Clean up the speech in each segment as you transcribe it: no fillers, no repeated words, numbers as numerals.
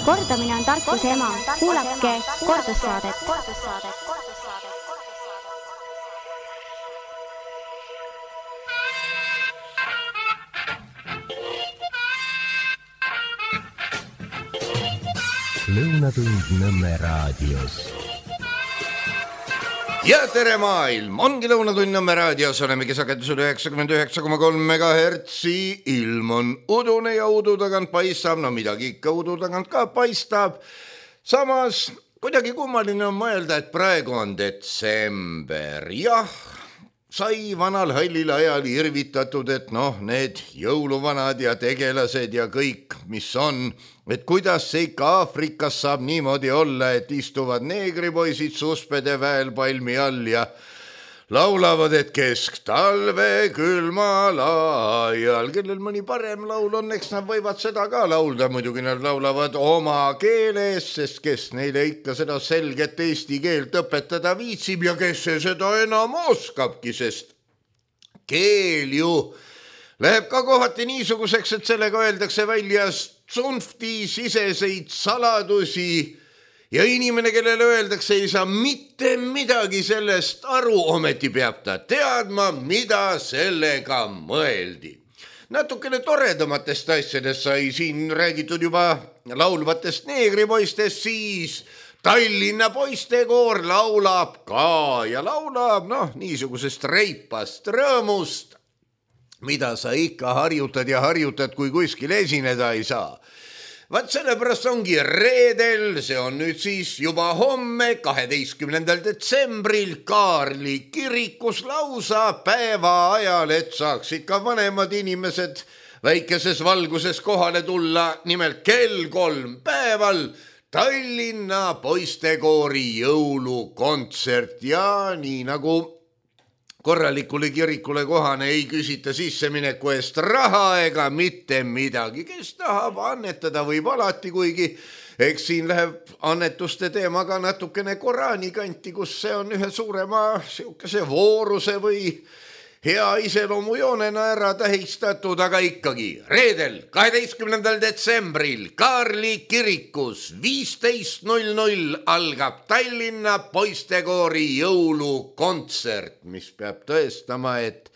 Kordamine on tarkuse ema. Kuulake kordussaadet. Lõunatund Nõmme raadios. Ja tere maailm! Ongi Lõunatund Nõmme raadios, olemegi sagedusel 99,3 MHz. Ilm on udune ja udu tagant paistab, no midagi ikka udu tagant ka paistab. Samas kuidagi kummaline on mõelda, et praegu on detsember. Jah, sai vanal hallil ajal irvitatud, et need jõuluvanad ja tegelased ja kõik, mis on, et kuidas see ikka Aafrikas saab niimoodi olla, et istuvad neegripoisid suspede väel palmi all ja laulavad, et kesktalve külmal ajal. Kellel mõni parem laul on, eks nad võivad seda ka laulda. Muidugi nad laulavad oma keeles, sest kes neile ikka seda selget eesti keelt õpetada viitsib ja kes see seda enam oskabki, sest keel ju läheb ka kohati niisuguseks, et sellega öeldakse välja tsunfti siseseid saladusi ja inimene, kellele öeldakse, ei saa mitte midagi sellest aru, ometi peab ta teadma, mida sellega mõeldi. Natukene toredamatest asjadest sai siin räägitud juba laulvatest neegripoistest, siis Tallinna poistekoor laulab ka ja laulab niisugusest reipast rõõmust, mida sa ikka harjutad ja harjutad, kui kuskil esineda ei saa. Vaat sellepärast ongi reedel, see on nüüd siis juba homme, 12. detsembril Kaarli kirikus lausa päeva ajal, et saaks ikka vanemad inimesed väikeses valguses kohale tulla, nimelt kell 3 päeval Tallinna poistekoori jõulukontsert ja nii nagu korralikule kirikule kohane ei küsita sissemineku eest raha ega mitte midagi. Kes tahab annetada võib alati, kuigi eks siin läheb annetuste teemaga natukene Koraani kanti, kus see on ühe suurema siukese vooruse või hea iseloomujoonena ära tähistatud, aga ikkagi reedel 12. detsembril Kaarli kirikus 15:00 algab Tallinna poistekoori jõulukontsert, mis peab tõestama, et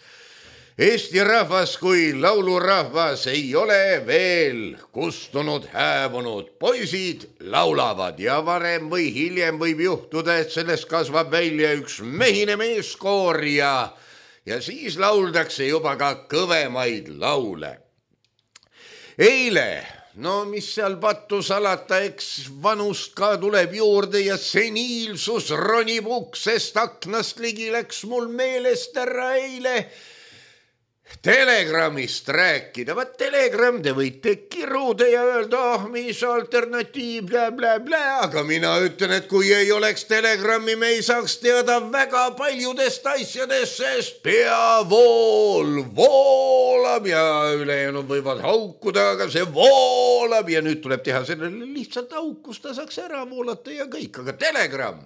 Eesti rahvas kui laulurahvas ei ole veel kustunud, hääbunud. Poisid laulavad ja varem või hiljem võib juhtuda, et sellest kasvab välja üks mehine meeskoor ja siis lauldakse juba ka kõvemaid laule. Eile, mis seal pattu salata, eks vanust ka tuleb juurde ja seniilsus ronib uksest aknast ligi, läks mul meelest ära eile Telegramist rääkida. Vaat Telegram, te võite kiruda ja öelda, mis alternatiiv, aga mina ütlen, et kui ei oleks Telegrami, me ei saaks teada väga paljudest asjadest, sest peavool voolab ja ülejäänud võivad haukuda, aga see voolab ja nüüd tuleb teha sellele lihtsalt aukus, ta saaks ära voolata ja kõik, aga Telegram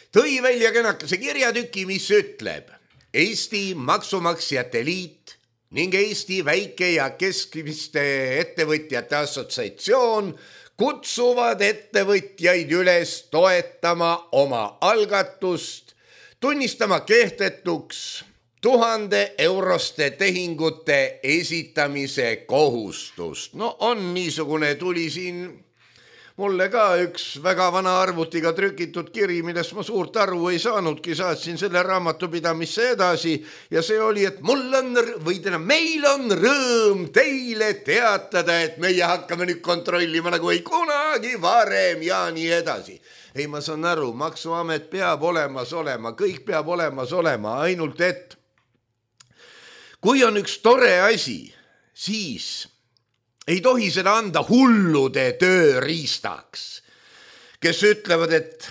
tõi välja kenakese kirjatüki, mis ütleb: Eesti Maksumaksjate Liit ning Eesti Väike- ja Keskmiste Ettevõtjate Assotsiatsioon kutsuvad ettevõtjaid üles toetama oma algatust, tunnistama kehtetuks 1000-euroste tehingute esitamise kohustust. On niisugune, tuli siin mulle ka üks väga vana arvutiga trükitud kiri, millest ma suurt aru ei saanudki, saatsin selle raamatupidamisse edasi ja see oli, et meil on rõõm teile teatada, et meie hakkame nüüd kontrollima nagu ei kunagi varem ja nii edasi. Ei, ma saan aru, Maksuamet peab olemas olema, kõik peab olemas olema, ainult et kui on üks tore asi, siis ei tohi seda anda hullude tööriistaks, kes ütlevad, et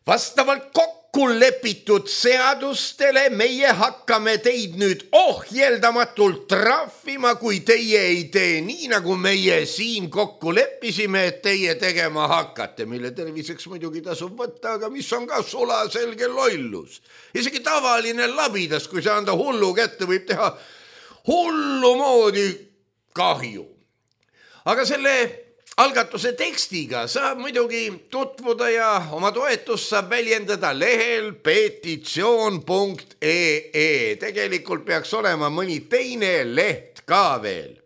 vastavalt kokku lepitud seadustele meie hakkame teid nüüd ohjeldamatult trahvima, kui teie ei tee nii, nagu meie siin kokku leppisime, et teie tegema hakkate, mille terviseks muidugi tasub võtta, aga mis on ka sulaselge lollus. Isegi tavaline labidas, kui see anda hullu kätte, võib teha hullu moodi kahju. Aga selle algatuse tekstiga saab muidugi tutvuda ja oma toetust saab väljendada lehel petitsioon.ee. Tegelikult peaks olema mõni teine leht ka veel.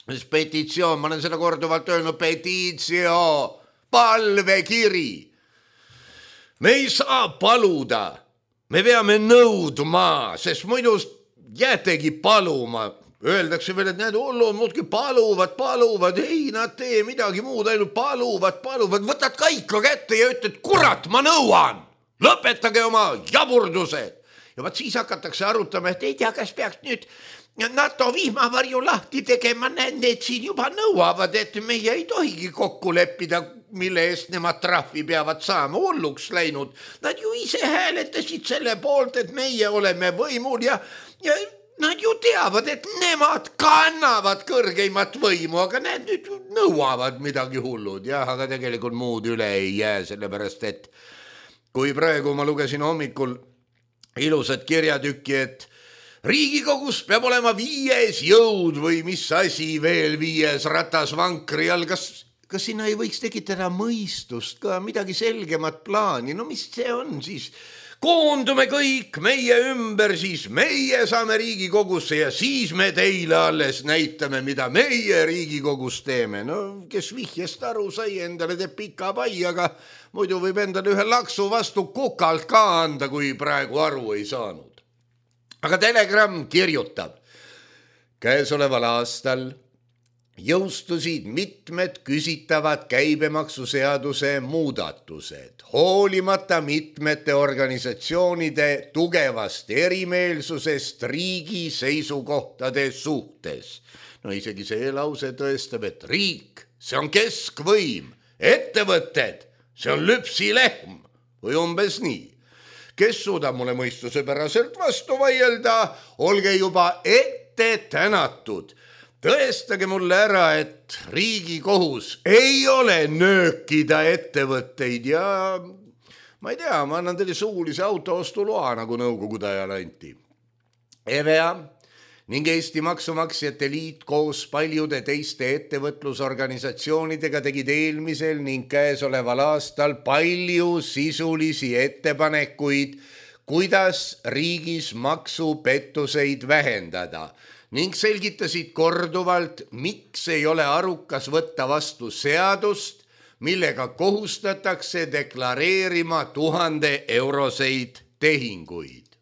Petitsioon, ma olen seda korduvalt öelnud, petitsioon, palvekiri. Me ei saa paluda, me peame nõudma, sest muidu jäätegi paluma. Öeldakse veel, et need hullud muudki paluvad, ei nad tee midagi muud, ainult paluvad, võtad ka ikka kätte ja ütled, kurat, ma nõuan, lõpetage oma jaburdused. Ja vaat siis hakatakse arutama, et ei tea, kas peaks nüüd NATO vihmavarju lahti tegema, need siin juba nõuavad, et meie ei tohigi kokku leppida, mille eest nemad trahvi peavad saama, hulluks läinud. Nad ju ise hääletasid selle poolt, et meie oleme võimul ja nad ju teavad, et nemad kannavad kõrgeimat võimu, aga need nüüd nõuavad midagi hullud. Jah, aga tegelikult muud üle ei jää, sellepärast et kui praegu ma lugesin hommikul ilusat kirjatükki, et Riigikogus peab olema 5. jõud või mis asi veel 5. ratas vankri all, kas sinna ei võiks tekitada mõistust ka, midagi selgemat plaani, no mis see on siis? Koondume kõik meie ümber, siis meie saame Riigikogusse ja siis me teile alles näitame, mida meie Riigikogus teeme. No kes vihjest aru sai, endale teeb pika pai, aga muidu võib endale ühe laksu vastu kukalt ka anda, kui praegu aru ei saanud. Aga Telegram kirjutab, käesoleval aastal jõustusid mitmed küsitavad käibemaksuseaduse muudatused, hoolimata mitmete organisatsioonide tugevast erimeelsusest riigi seisukohtade suhtes. No isegi see lause tõestab, et riik, see on keskvõim, ettevõtted, see on lüpsilehm või umbes nii. Kes suudab mulle mõistusepäraselt vastu vaielda, olge juba ette tänatud. Tõestage mulle ära, et Riigikohus ei ole nöökida ettevõtteid ja ma ei tea, ma annan teile suulise autoostuloa, nagu nõukogude ajal anti. EVEA ning Eesti Maksumaksjate Liit koos paljude teiste ettevõtlusorganisatsioonidega tegid eelmisel ning käesoleval aastal palju sisulisi ettepanekuid, kuidas riigis maksupettuseid vähendada ning selgitasid korduvalt, miks ei ole arukas võtta vastu seadust, millega kohustatakse deklareerima 1000-euroseid tehinguid.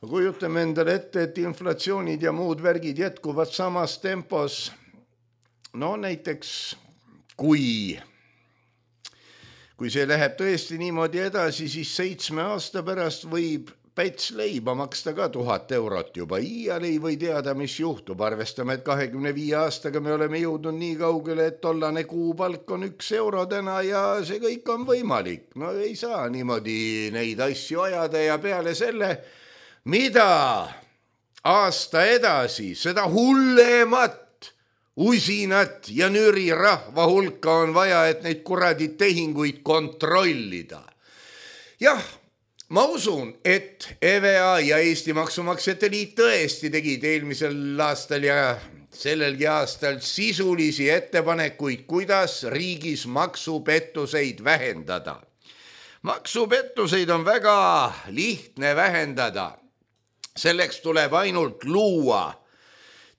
Kujutame endale ette, et inflatsioonid ja muud värgid jätkuvad samas tempos. No näiteks, kui see läheb tõesti niimoodi edasi, siis 7 aasta pärast võib Päts leiba maksta ka 1000 eurot juba. Iial ei või teada, mis juhtub. Arvestame, et 25 aastaga me oleme jõudnud nii kaugele, et tollane kuupalk on 1 euro täna ja see kõik on võimalik. No ei saa niimoodi neid asju ajada ja peale selle, mida aasta edasi, seda hullemat, usinat ja nüri rahva hulka on vaja, et neid kuradi tehinguid kontrollida. Jah, ma usun, et EVEA ja Eesti Maksumaksjate Liit tõesti tegid eelmisel aastal ja sellelgi aastal sisulisi ettepanekuid, kuidas riigis maksupettuseid vähendada. Maksupettuseid on väga lihtne vähendada. Selleks tuleb ainult luua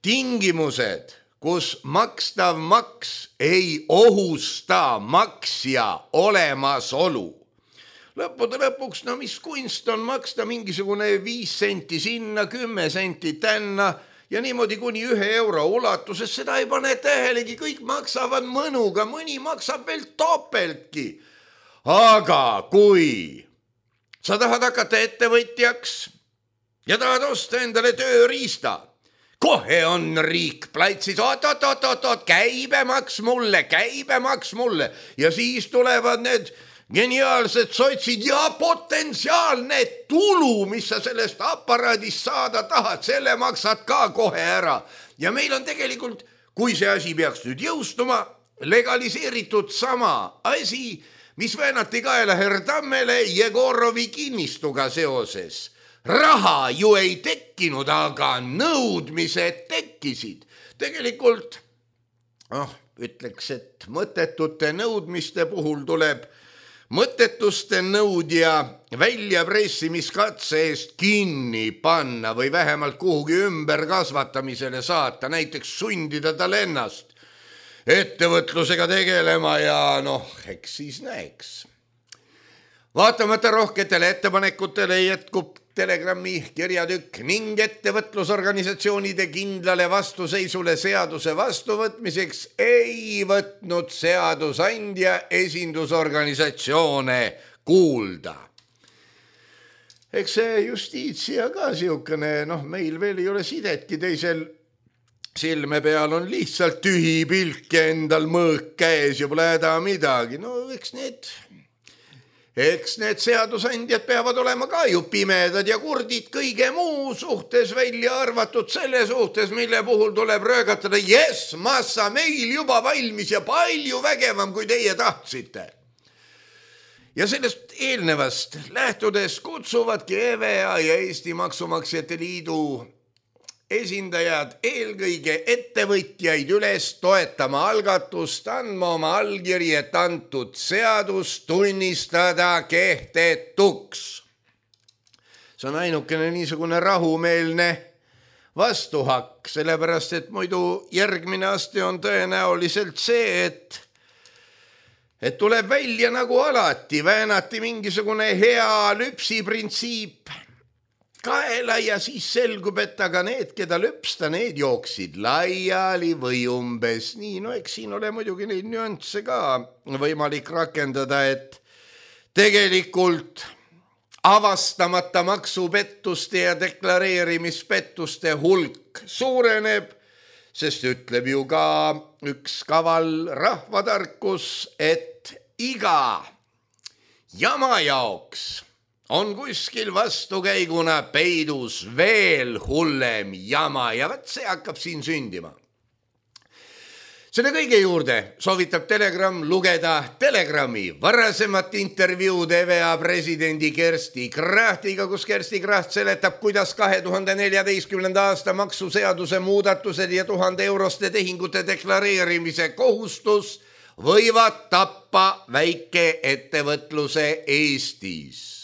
tingimused, kus makstav maks ei ohusta maksja olemasolu. Lõppude lõpuks, no mis kunst on maksta mingisugune 5 senti sinna, 10 senti tänna ja niimoodi kuni 1 euro ulatuses, seda ei pane tähelegi, kõik maksavad mõnuga, mõni maksab veel topeltki. Aga kui sa tahad hakata ettevõtjaks ja tahad osta endale tööriista, kohe on riik platsis, oot, käibemaks mulle ja siis tulevad need geniaalsed sotsid ja potentsiaalne tulu, mis sa sellest aparaadist saada tahad, selle maksad ka kohe ära. Ja meil on tegelikult, kui see asi peaks nüüd jõustuma, legaliseeritud sama asi, mis väänati kaela Herdammele Jegorovi kinnistuga seoses. Raha ju ei tekkinud, aga nõudmised tekkisid. Tegelikult, ütleks, et mõttetute nõudmiste puhul tuleb mõttetuste nõudja väljapressimiskatse eest kinni panna või vähemalt kuhugi ümberkasvatamisele saata, näiteks sundida tal ennast ettevõtlusega tegelema ja eks siis näeks. Vaatamata rohketele ettepanekutele jätkub Telegrami kirjatükk ning ettevõtlusorganisatsioonide kindlale vastuseisule seaduse vastuvõtmiseks ei võtnud seadusandja esindusorganisatsioone kuulda. Eks see justiitsia ka siukene, meil veel ei ole sidetki teisel silme peal on lihtsalt tühi pilk ja endal mõõk käes ja pole häda midagi. Eks need seadusandjad peavad olema ka ju pimedad ja kurdid kõige muu suhtes, välja arvatud selle suhtes, mille puhul tuleb röögatada, jess, massa meil juba valmis ja palju vägevam, kui teie tahtsite. Ja sellest eelnevast lähtudes kutsuvadki EVEA ja Eesti Maksumaksjate Liidu esindajad eelkõige ettevõtjaid üles toetama algatust, andma oma allkiri, et antud seadus tunnistada kehtetuks. See on ainukene niisugune rahumeelne vastuhakk, sellepärast et muidu järgmine aste on tõenäoliselt see, et tuleb välja nagu alati, väänati mingisugune hea lüpsiprintsiip kaela ja siis selgub, et aga need, keda lüpsta, need jooksid laiali või umbes nii. Eks siin ole muidugi neid nüansse ka võimalik rakendada, et tegelikult avastamata maksupettuste ja deklareerimispettuste hulk suureneb, sest ütleb ju ka üks kaval rahvatarkus, et iga jama jaoks on kuskil vastukäiguna peidus veel hullem jama ja see hakkab siin sündima. Selle kõige juurde soovitab Telegram lugeda Telegrami varasemat intervjuud EVEA presidendi Kersti Krahtiga, kus Kersti Kraht seletab, kuidas 2014. aasta maksuseaduse muudatused ja 1000 euroste tehingute deklareerimise kohustus võivad tappa väikeettevõtluse Eestis.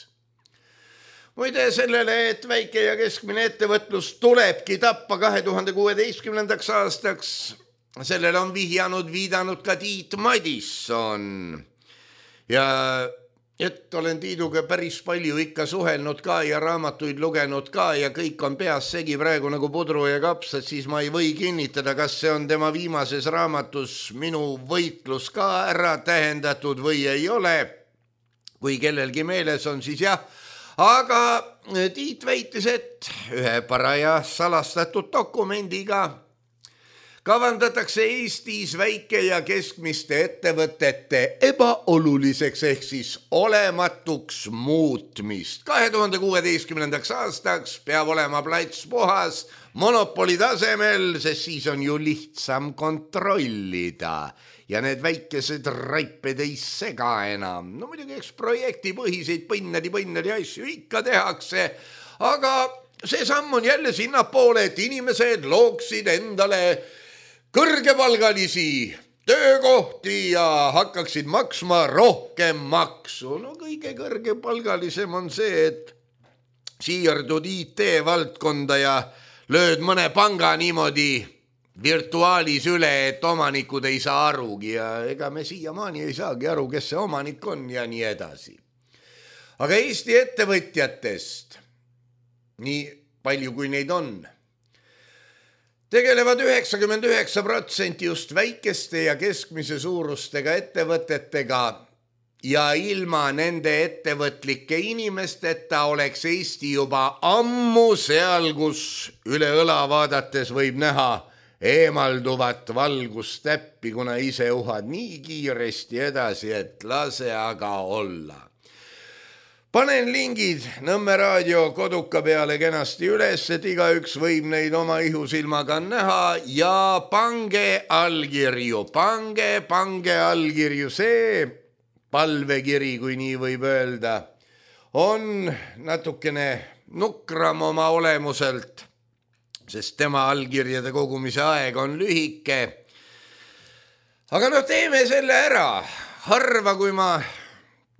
Muide sellele, et väike ja keskmine ettevõtlus tulebki tappa 2016. aastaks, sellele on viidanud ka Tiit Madisson. Ja et olen Tiiduga päris palju ikka suhelnud ka ja raamatuid lugenud ka ja kõik on peas segi praegu nagu pudru ja kapsad, siis ma ei või kinnitada, kas see on tema viimases raamatus Minu võitlus ka ära tähendatud või ei ole. Kui kellelgi meeles on, siis jah. Aga Tiit väitis, et ühe paraja salastatud dokumendiga kavandatakse Eestis väike ja keskmiste ettevõtete ebaoluliseks ehk siis olematuks muutmist. 2016. aastaks peab olema plats puhas monopoli tasemel, sest siis on ju lihtsam kontrollida. Ja need väikesed raiped ei sega enam. Muidugi eks projektipõhiseid põnnadi asju ikka tehakse, aga see samm on jälle sinnapoole, et inimesed looksid endale kõrgepalgalisi töökohti ja hakkaksid maksma rohkem maksu. Kõige kõrgepalgalisem on see, et siirdud IT-valdkonda ja lööd mõne panga niimoodi virtuaalis üle, et omanikud ei saa arugi ja ega me siiamaani ei saagi aru, kes see omanik on ja nii edasi. Aga Eesti ettevõtjatest, nii palju kui neid on, tegelevad 99% just väikeste ja keskmise suurustega ettevõtetega ja ilma nende ettevõtlike inimesteta oleks Eesti juba ammu seal, kus üle õla vaadates võib näha eemalduvat valgustäppi, kuna ise uhad nii kiiresti edasi, et lase aga olla. Panen lingid Nõmme raadio koduka peale kenasti üles, et igaüks võib neid oma ihusilmaga näha ja pange allkirju, pange allkirju. See palvekiri, kui nii võib öelda, on natukene nukram oma olemuselt, sest tema allkirjade kogumise aeg on lühike. Aga no teeme selle ära. Harva, kui ma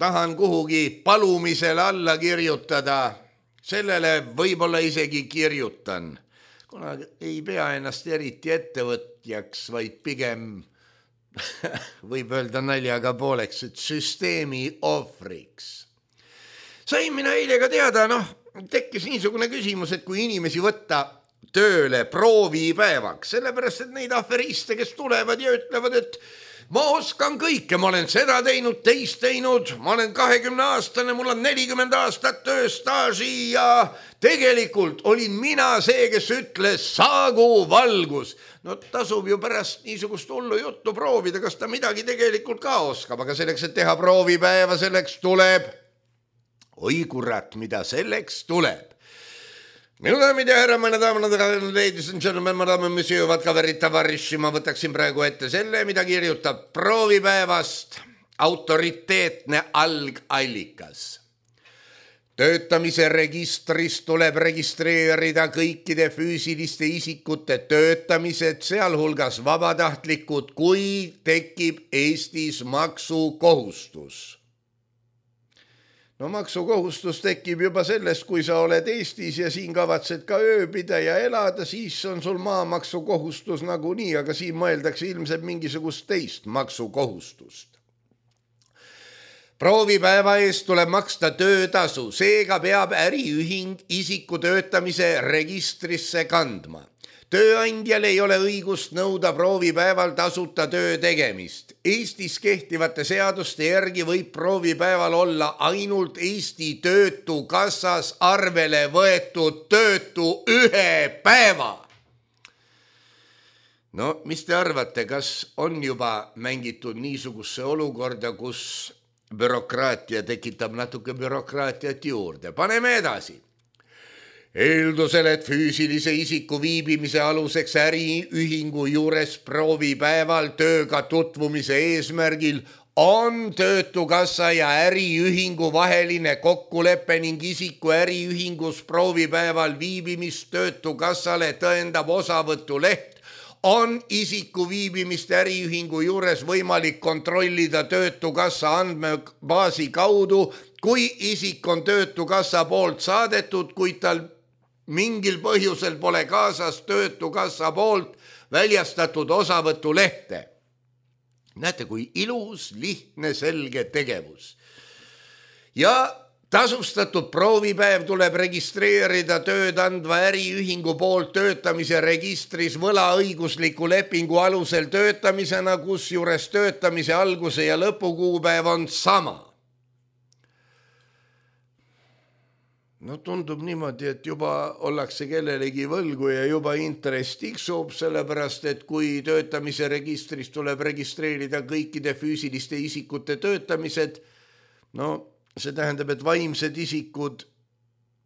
tahan kuhugi palumisele alla kirjutada, sellele võib-olla isegi kirjutan, kuna ei pea ennast eriti ettevõtjaks, vaid pigem võib öelda naljaga pooleks, et süsteemi ohvriks. Sain mina eile ka teada, tekkis niisugune küsimus, et kui inimesi võtta tööle proovipäevaks, sellepärast, et neid aferiste, kes tulevad ja ütlevad, et ma oskan kõike, ma olen seda teinud, teist teinud, ma olen 20-aastane, mul on 40 aastat tööstaaži ja tegelikult olin mina see, kes ütles saagu valgus. No tasub ju pärast niisugust hullu juttu proovida, kas ta midagi tegelikult ka oskab, aga selleks, et teha proovipäeva, selleks tuleb, oi kurat, mida selleks tuleb. Minu daamid ja härra, mõne daamad, ladies and gentlemen, ma daamid, mis jõuvad ka verita varriši, ma võtaksin praegu ette selle, mida kirjutab proovipäevast autoriteetne algallikas. Töötamise registris tuleb registreerida kõikide füüsiliste isikute töötamised, sealhulgas vabatahtlikud, kui tekib Eestis maksukohustus. No maksukohustus tekib juba sellest, kui sa oled Eestis ja siin kavatsed ka ööbida ja elada, siis on sul maamaksukohustus nagunii, aga siin mõeldakse ilmselt mingisugust teist maksukohustust. Proovipäeva eest tuleb maksta töötasu, seega peab äriühing isiku töötamise registrisse kandma. Tööandjal ei ole õigust nõuda proovipäeval tasuta töö tegemist. Eestis kehtivate seaduste järgi võib proovipäeval olla ainult Eesti Töötukassas arvele võetud töötu 1 päeva. No, mis te arvate, kas on juba mängitud niisugusse olukorda, kus bürokraatia tekitab natuke bürokraatiat juurde? Paneme edasi. Eeldusel, et füüsilise isiku viibimise aluseks äriühingu juures proovipäeval tööga tutvumise eesmärgil on Töötukassa ja äriühingu vaheline kokkulepe ning isiku äriühingus proovipäeval viibimist Töötukassale tõendab osavõtuleht, on isiku viibimist äriühingu juures võimalik kontrollida Töötukassa andmebaasi kaudu, kui isik on Töötukassa poolt saadetud, kuid tal mingil põhjusel pole kaasas Töötukassa poolt väljastatud osavõtulehte. Näete, kui ilus, lihtne, selge tegevus. Ja tasustatud proovipäev tuleb registreerida tööd andva äriühingu poolt töötamise registris võlaõigusliku lepingu alusel töötamisena, kusjuures töötamise alguse ja lõpukuupäev on sama. No tundub niimoodi, et juba ollakse kellelegi võlgu ja juba intress tiksub, sellepärast, et kui töötamise registris tuleb registreerida kõikide füüsiliste isikute töötamised, no see tähendab, et vaimsed isikud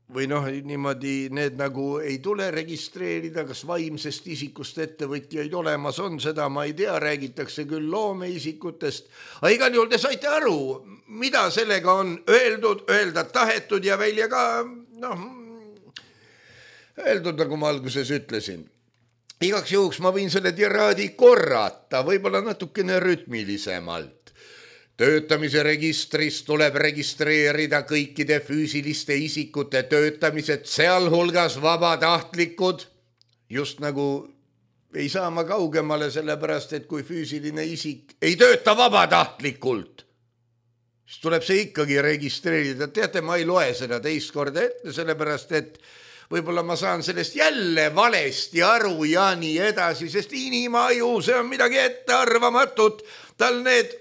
või niimoodi need nagu ei tule registreerida, kas vaimsest isikust ettevõtjaid olemas on, seda ma ei tea, räägitakse küll loomeisikutest. Aga igal juhul te saite aru, mida sellega on öeldud, öelda tahetud ja välja ka, öeldud, nagu ma alguses ütlesin. Igaks juhuks ma võin selle tiraadi korrata, võib-olla natukene rütmilisemalt. Töötamise registris tuleb registreerida kõikide füüsiliste isikute töötamised, sealhulgas vabatahtlikud. Just nagu ei saa ma kaugemale, sellepärast, et kui füüsiline isik ei tööta vabatahtlikult, siis tuleb see ikkagi registreerida. Teate, ma ei loe seda teist korda ette, sellepärast, et võib-olla ma saan sellest jälle valesti aru ja nii edasi, sest inimaju, see on midagi ettearvamatut. Tal need,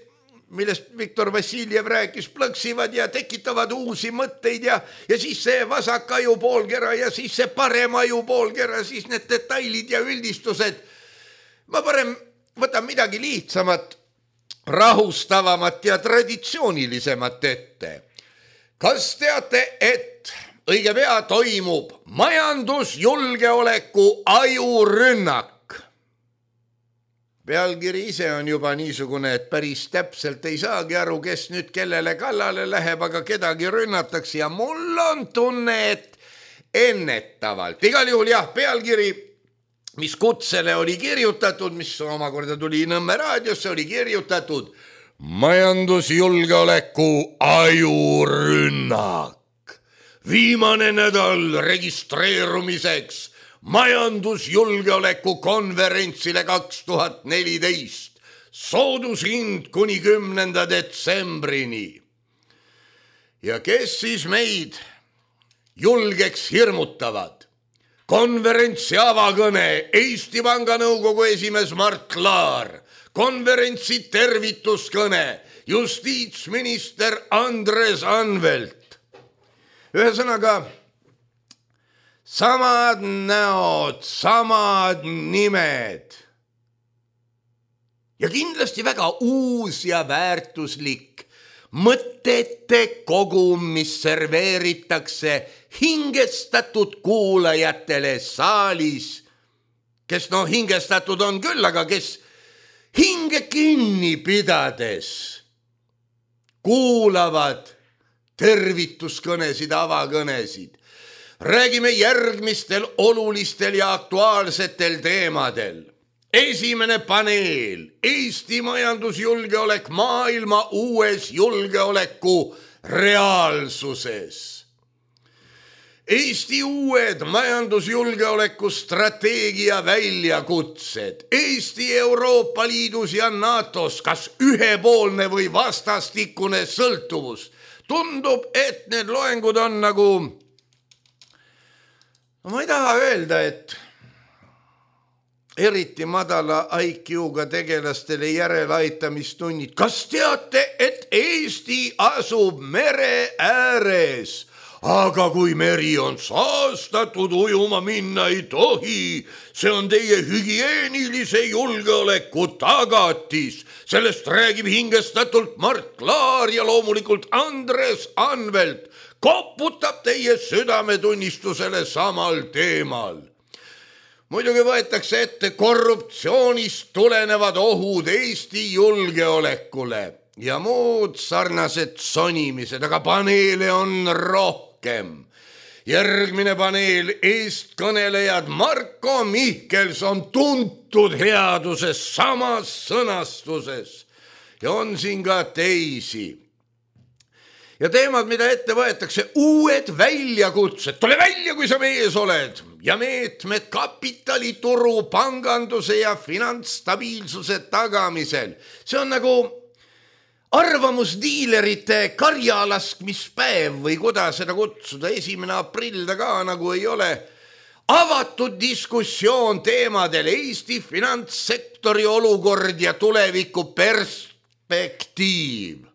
millest Viktor Vassiljev rääkis, plõksivad ja tekitavad uusi mõtteid ja siis see vasak aju poolkera ja siis see parem aju poolkera, siis need detailid ja üldistused. Ma parem võtan midagi lihtsamat, rahustavamat ja traditsioonilisemat ette. Kas teate, et õige pea toimub majandusjulgeoleku ajurünnak? Pealkiri ise on juba niisugune, et päris täpselt ei saagi aru, kes nüüd kellele kallale läheb, aga kedagi rünnatakse ja mul on tunne, et ennetavalt. Igal juhul jah, pealkiri mis kutsele oli kirjutatud, mis omakorda tuli Nõmme raadiosse, oli kirjutatud majandusjulgeoleku ajurünnak. Viimane nädal registreerumiseks majandusjulgeoleku konverentsile 2014. Soodushind kuni 10. detsembrini. Ja kes siis meid julgeks hirmutavad? Konverentsi avakõne Eesti Panga nõukogu esimees Mart Laar, konverentsi tervituskõne justiitsminister Andres Anvelt. Ühesõnaga, samad näod, samad nimed ja kindlasti väga uus ja väärtuslik mõtete kogum, mis serveeritakse hingestatud kuulajatele saalis, kes hingestatud on küll, aga kes hinge kinni pidades kuulavad tervituskõnesid, avakõnesid. Räägime järgmistel olulistel ja aktuaalsetel teemadel. Esimene paneel, Eesti majandusjulgeolek maailma uues julgeoleku reaalsuses. Eesti uued majandusjulgeoleku strateegia väljakutsed. Eesti Euroopa Liidus ja NATOs, kas ühepoolne või vastastikune sõltuvus. Tundub, et need loengud on nagu, ma ei taha öelda, et eriti madala IQ-ga tegelastele järeleaitamistunnid. Kas teate, et Eesti asub mere ääres? Aga kui meri on saastatud, ujuma minna ei tohi. See on teie hügieenilise julgeoleku tagatis. Sellest räägib hingestatult Mart Laar ja loomulikult Andres Anvelt. Koputab teie südametunnistusele samal teemal. Muidugi võetakse ette korruptsioonist tulenevad ohud Eesti julgeolekule ja muud sarnased sonimised, aga paneele on rohkem. Järgmine paneel, eestkõnelejad Marko Mihkelson, tuntud headuses samas sõnastuses ja on siin ka teisi. Ja teemad, mida ette võetakse, uued väljakutsed, tule välja, kui sa mees oled, ja meetmed kapitalituru, panganduse ja finantsstabiilsuse tagamisel. See on nagu arvamusdiilerite karjalaskmispäev või kuidas seda kutsuda, 1. aprill ta ka nagu ei ole. Avatud diskussioon teemadel Eesti finantssektori olukord ja tuleviku perspektiiv.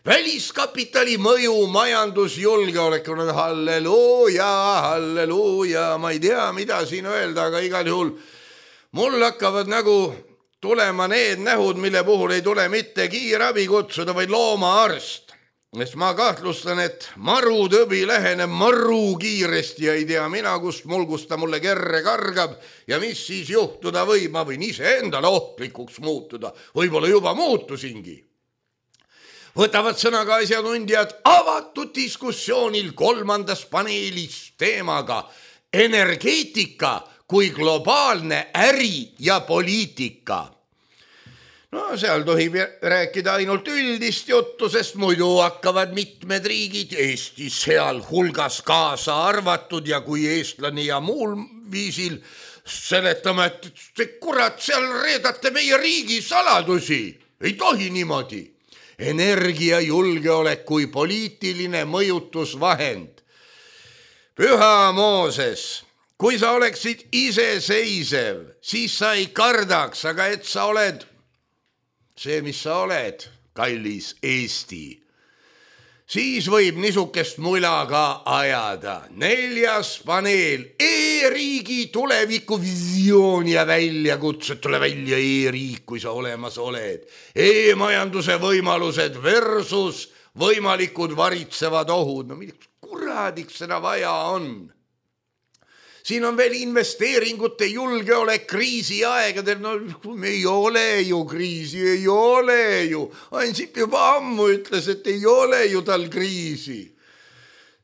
Väliskapitali mõju majandusjulgeolekule, halleluuja, halleluuja, ma ei tea, mida siin öelda, aga igal juhul mul hakkavad nagu tulema need nähud, mille puhul ei tule mitte kiirabi kutsuda, vaid loomaarst. Sest ma kahtlustan, et marutõbi läheneb maru kiiresti ja ei tea mina, kust mulgusta mulle kerre kargab ja mis siis juhtuda võib. Ma võin ise endale ohtlikuks muutuda. Võib-olla juba muutusingi. Võtavad sõna ka asjatundjad avatud diskussioonil 3. paneelis teemaga energeetika kui globaalne äri ja poliitika. No seal tohib rääkida ainult üldist juttu, sest muidu hakkavad mitmed riigid, Eesti seal hulgas kaasa arvatud ja kui eestlane ja muul viisil seletame, et kurat, seal reedate meie riigi saladusi. Ei tohi niimoodi. Energiajulgeolek kui poliitiline mõjutusvahend. Püha Mooses, kui sa oleksid iseseisev, siis sa ei kardaks, aga et sa oled see, mis sa oled, kallis Eesti, siis võib niisugust mula ka ajada. 4. paneel, e-riigi tuleviku visioon ja väljakutsed, tule välja e-riik, kui sa olemas oled. E-majanduse võimalused versus võimalikud varitsevad ohud. No milleks kuradiks seda vaja on? Siin on veel investeeringute julgeolek kriisi aegadel. No ei ole ju kriisi, ei ole ju. Ansip juba ammu ütles, et ei ole ju tal kriisi.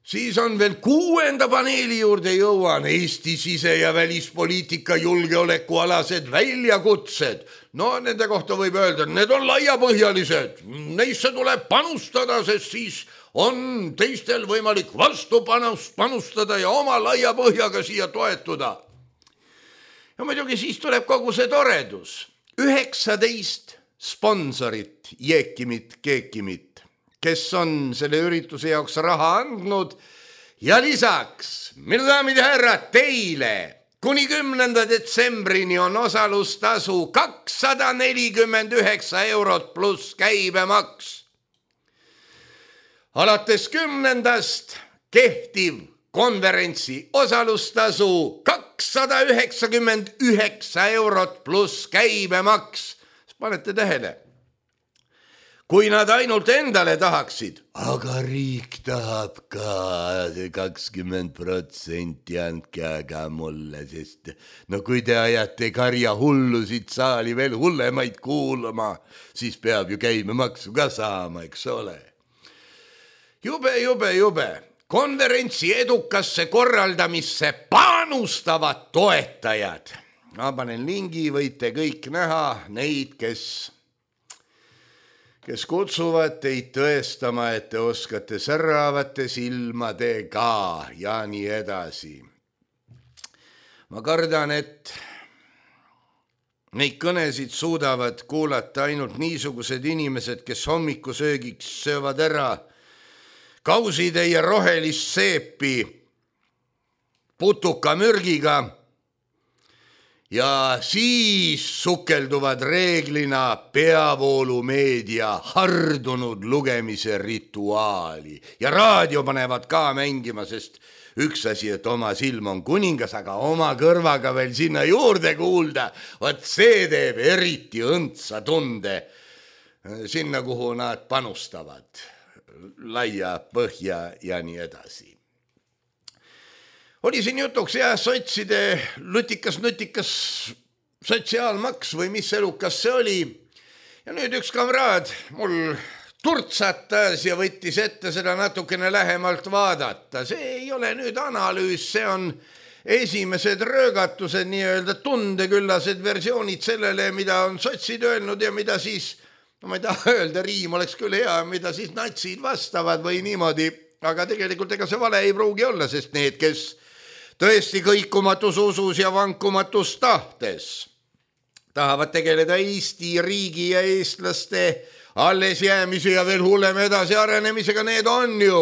Siis on veel 6. paneeli juurde jõuan Eesti sise- ja välispoliitika julgeolekualased väljakutsed. No nende kohta võib öelda, et need on laiapõhjalised. Neisse tuleb panustada, sest siis on teistel võimalik vastu panustada ja oma laia põhjaga siia toetuda. Ja muidugi siis tuleb kogu see toredus. 19 sponsorit, Jeekimit, Keekimit, kes on selle ürituse jaoks raha andnud ja lisaks, minu daamid ja härrad, teile kuni 10. detsembrini on osalustasu 249 eurot pluss käibemaks. Alates 10. kehtiv konverentsi osalustasu 299 eurot pluss käibemaks. Panete tähele, kui nad ainult endale tahaksid, aga riik tahab ka 20%, andke aga mulle, sest no kui te ajate karja hullusid saali veel hullemaid kuulama, siis peab ju käibemaksu ka saama, eks ole. Jube. Konverentsi edukasse korraldamisse panustavad toetajad. Ma panen lingi, võite kõik näha neid, kes kutsuvad teid tõestama, et te oskate säravate silmadega ja nii edasi. Ma kardan, et neid kõnesid suudavad kuulata ainult niisugused inimesed, kes hommikusöögiks söövad ära kausitäie rohelist seepi putukamürgiga ja siis sukelduvad reeglina peavoolumeedia hardunud lugemise rituaali ja raadio panevad ka mängima, sest üks asi, et oma silm on kuningas, aga oma kõrvaga veel sinna juurde kuulda, vot see teeb eriti õndsa tunde sinna, kuhu nad panustavad, laia põhja ja nii edasi. Oli siin jutuks sotside lutikas sotsiaalmaks või mis elukas see oli. Ja nüüd üks kamraad mul turtsatas ja võttis ette seda natukene lähemalt vaadata. See ei ole nüüd analüüs, see on esimesed röögatused, nii-öelda tundeküllased versioonid sellele, mida on sotsid öelnud ja mida siis, no ma ei taha öelda, riim oleks küll hea, mida siis natsid vastavad või niimoodi, aga tegelikult ega see vale ei pruugi olla, sest need, kes tõesti kõikumatus usus ja vankumatus tahtes tahavad tegeleda Eesti riigi ja eestlaste alles jäämise ja veel hullem edasi arenemisega, need on ju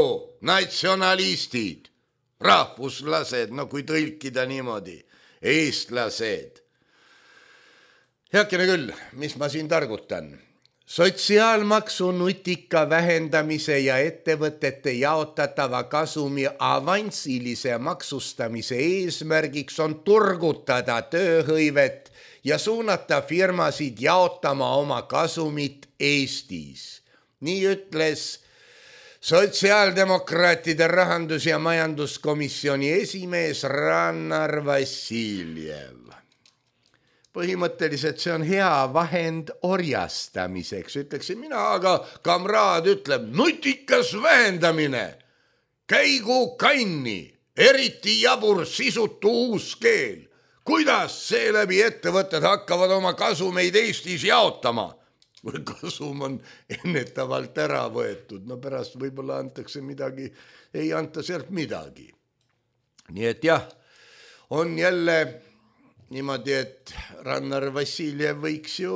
natsionalistid, rahvuslased, no kui tõlkida niimoodi, eestlased. Heakene küll, mis ma siin targutan? Sotsiaalmaksu nutika vähendamise ja ettevõtete jaotatava kasumi avansilise maksustamise eesmärgiks on turgutada tööhõivet ja suunata firmasid jaotama oma kasumit Eestis. Nii ütles sotsiaaldemokraatide rahandus- ja majanduskomisjoni esimees Rannar Vassiljev. Põhimõtteliselt see on hea vahend orjastamiseks, ütleksin mina, aga kamraad ütleb nutikas vähendamine, käigu kanni, eriti jabur sisutu uus keel. Kuidas seeläbi ettevõtted hakkavad oma kasumeid Eestis jaotama? Või kasum on ennetavalt ära võetud, no pärast võib-olla antakse midagi, ei anta sealt midagi. Nii et jah, on jälle niimoodi, et Rannar Vassiljev võiks ju,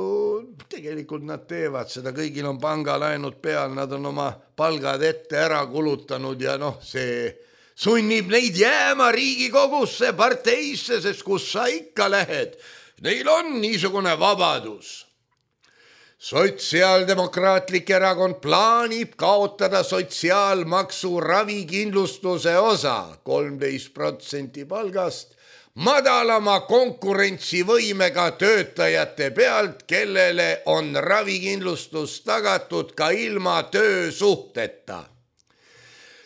tegelikult nad teevad seda, kõigil on pangalaenud peal, nad on oma palgad ette ära kulutanud ja noh, see sunnib neid jääma Riigikogusse, parteisse, sest kus sa ikka lähed, neil on niisugune vabadus. Sotsiaaldemokraatlik erakond plaanib kaotada sotsiaalmaksu ravikindlustuse osa 13% palgast, madalama konkurentsivõimega töötajate pealt, kellele on ravikindlustus tagatud ka ilma töösuhteta.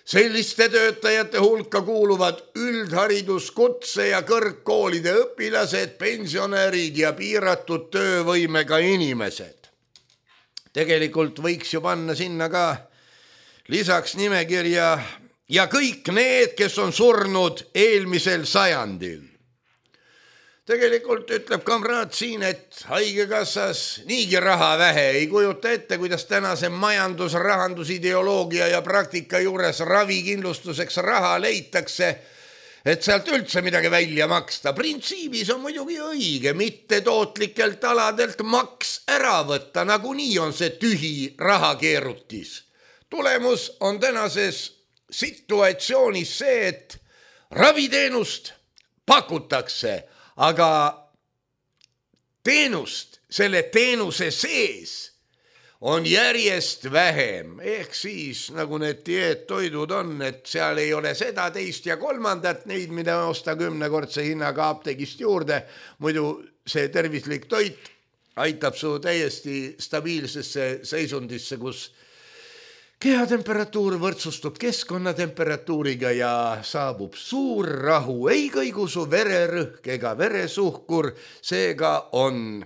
Selliste töötajate hulka kuuluvad üldharidus, kutse- ja kõrgkoolide õpilased, pensionärid ja piiratud töövõimega inimesed. Tegelikult võiks ju panna sinna ka lisaks nimekirja ja kõik need, kes on surnud eelmisel sajandil. Tegelikult ütleb kamraad siin, et haigekassas niigi raha vähe, ei kujuta ette, kuidas tänase majandus, rahandusideoloogia ja praktika juures ravikindlustuseks raha leitakse, et sealt üldse midagi välja maksta. Printsiibis on muidugi õige mittetootlikelt aladelt maks ära võtta, nagunii on see tühi rahakeerutis. Tulemus on tänases situatsioonis see, et raviteenust pakutakse, aga teenust, selle teenuse sees on järjest vähem, ehk siis nagu need dieettoidud on, et seal ei ole seda, teist ja kolmandat, neid, mida osta 10-kordse hinnaga apteegist juurde, muidu see tervislik toit aitab su täiesti stabiilsesse seisundisse, kus kehatemperatuur võrdsustub keskkonnatemperatuuriga ja saabub suur rahu, ei kõigu su vererõhk ega veresuhkur, seega on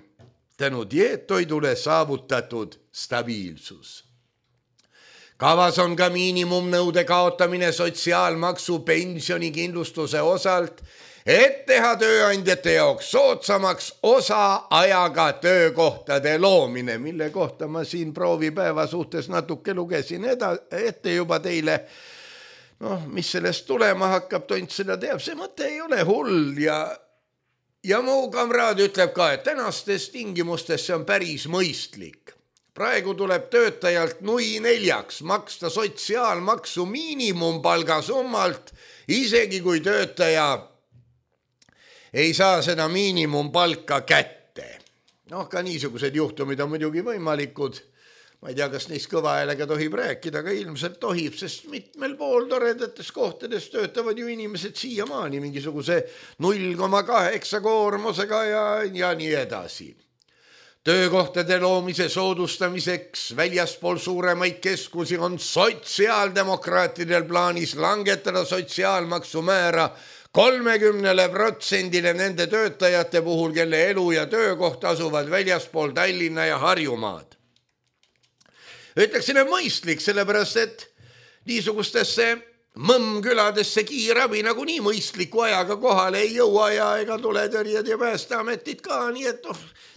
tänu dieettoidule saavutatud stabiilsus. Kavas on ka miinimumnõude kaotamine sotsiaalmaksu pensionikindlustuse osalt, et teha tööandjate jaoks soodsamaks osaajaga töökohtade loomine, mille kohta ma siin proovipäeva suhtes natuke lugesin ette juba teile. Mis sellest tulema hakkab, tont seda teab, see mõte ei ole hull ja mu kamraad ütleb ka, et tänastes tingimustes see on päris mõistlik. Praegu tuleb töötajalt nui 4 maksta sotsiaalmaksu miinimumpalga summalt, isegi kui töötaja ei saa seda miinimumpalka kätte. Ka niisugused juhtumid on muidugi võimalikud. Ma ei tea, kas neist kõva häälega tohib rääkida, aga ilmselt tohib, sest mitmel pool toredates kohtades töötavad ju inimesed siiamaani mingisuguse 0,8 koormusega ja nii edasi. Töökohtade loomise soodustamiseks väljaspool suuremaid keskusi on sotsiaaldemokraatidel plaanis langetada sotsiaalmaksu määra 30% nende töötajate puhul, kelle elu ja töökoht asuvad väljaspool Tallinna ja Harjumaad. Ütleksin, et mõistlik, sellepärast, et niisugustesse mõmmküladesse kiirabi nagu nii mõistliku ajaga kohale ei jõua ja ega tule tõrjed ja päästeametid ka, nii et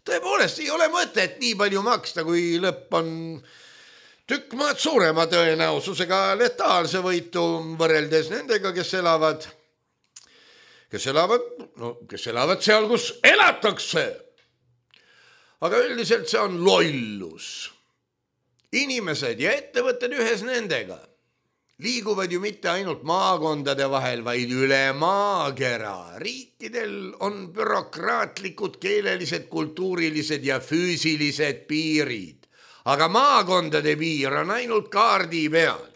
tõepoolest ei ole mõtet nii palju maksta, kui lõpp on tükk maad suurema tõenäosusega letaalse võitu võrreldes nendega, kes elavad seal, kus elatakse. Aga üldiselt see on lollus. Inimesed ja ettevõtted ühes nendega liiguvad ju mitte ainult maakondade vahel, vaid üle maakera. Riikidel on bürokraatlikud, keelelised, kultuurilised ja füüsilised piirid, aga maakondade piir on ainult kaardi peal.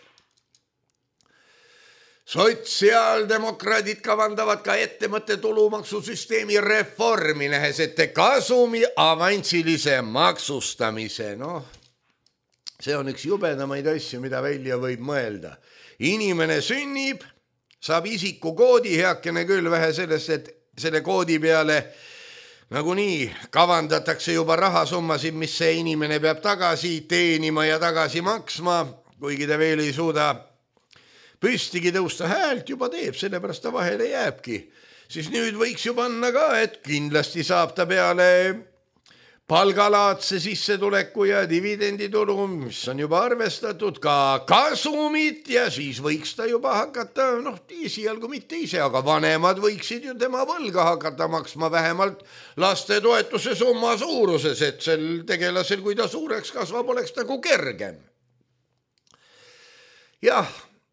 Sotsiaaldemokraadid kavandavad ka ettevõtte tulumaksusüsteemi reformi, nähes ette kasumi avansilise maksustamise. See on üks jubedamaid asju, mida välja võib mõelda. Inimene sünnib, saab isikukoodi, heakene küll vähe sellest, et selle koodi peale nagunii kavandatakse juba rahasummasid, mis see inimene peab tagasi teenima ja tagasi maksma, kuigi ta veel ei suuda püstigi tõusta, häält juba teeb, sellepärast ta vahele jääbki. Siis nüüd võiks ju panna ka, et kindlasti saab ta peale palgalaadse sissetuleku ja dividenditulu, mis on juba arvestatud, ka kasumit ja siis võiks ta juba hakata, esialgu mitte ise, aga vanemad võiksid ju tema võlga hakata maksma vähemalt lastetoetuse summa suuruses, et sel tegelasel, kui ta suureks kasvab, oleks nagu kergem. Jah,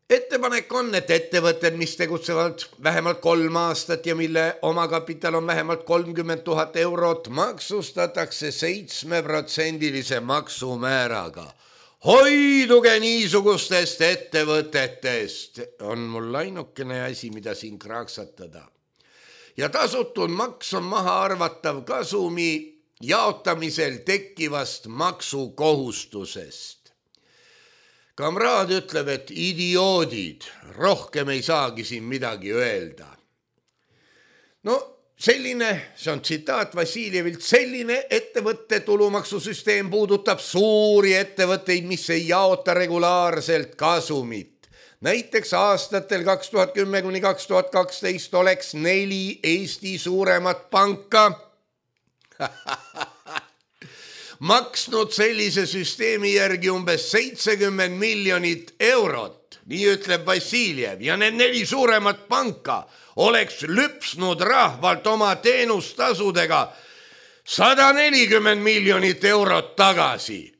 ettepanek on, et ettevõtted, mis tegutsevad vähemalt 3 aastat ja mille omakapital on vähemalt 30 000 eurot, maksustatakse 7% maksumääraga. Hoiduge niisugustest ettevõtetest, on mul ainukene asi, mida siin kraaksatada. Ja tasutud maks on maha arvatav kasumi jaotamisel tekkivast maksukohustusest. Kamraad ütleb, et idioodid, rohkem ei saagi siin midagi öelda. Selline, see on tsitaat Vassiljevilt, selline ettevõtte tulumaksusüsteem puudutab suuri ettevõtteid, mis ei jaota regulaarselt kasumit. Näiteks aastatel 2010–2012 oleks 4 Eesti suuremat panka maksnud sellise süsteemi järgi umbes 70 miljonit eurot, nii ütleb Vassiljev, ja need 4 suuremat panka oleks lüpsnud rahvalt oma teenustasudega 140 miljonit eurot tagasi.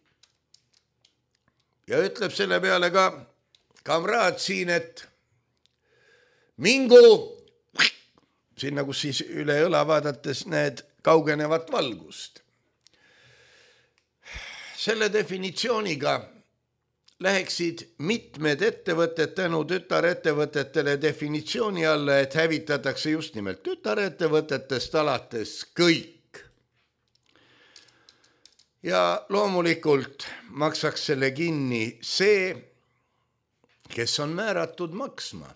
Ja ütleb selle peale ka kamraad siin, et mingu sinna, kus siis üle õla vaadates näed kaugenevat valgust. Selle definitsiooniga läheksid mitmed ettevõtted tänu tütarettevõtetele definitsiooni alla, et hävitatakse just nimelt tütarettevõtetest alates kõik. Ja loomulikult maksaks selle kinni see, kes on määratud maksma.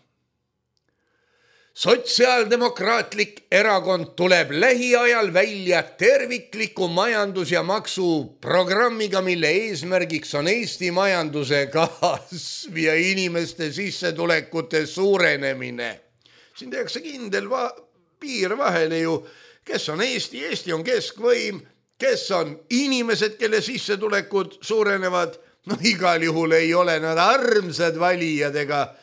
Sotsiaaldemokraatlik erakond tuleb lähiajal välja tervikliku majandus- ja maksuprogrammiga, mille eesmärgiks on Eesti majanduse kasv ja inimeste sissetulekute suurenemine. Siin tehakse kindel piir vahele ju, kes on Eesti, Eesti on keskvõim, kes on inimesed, kelle sissetulekud suurenevad, no igal juhul ei ole nad armsad valijad ega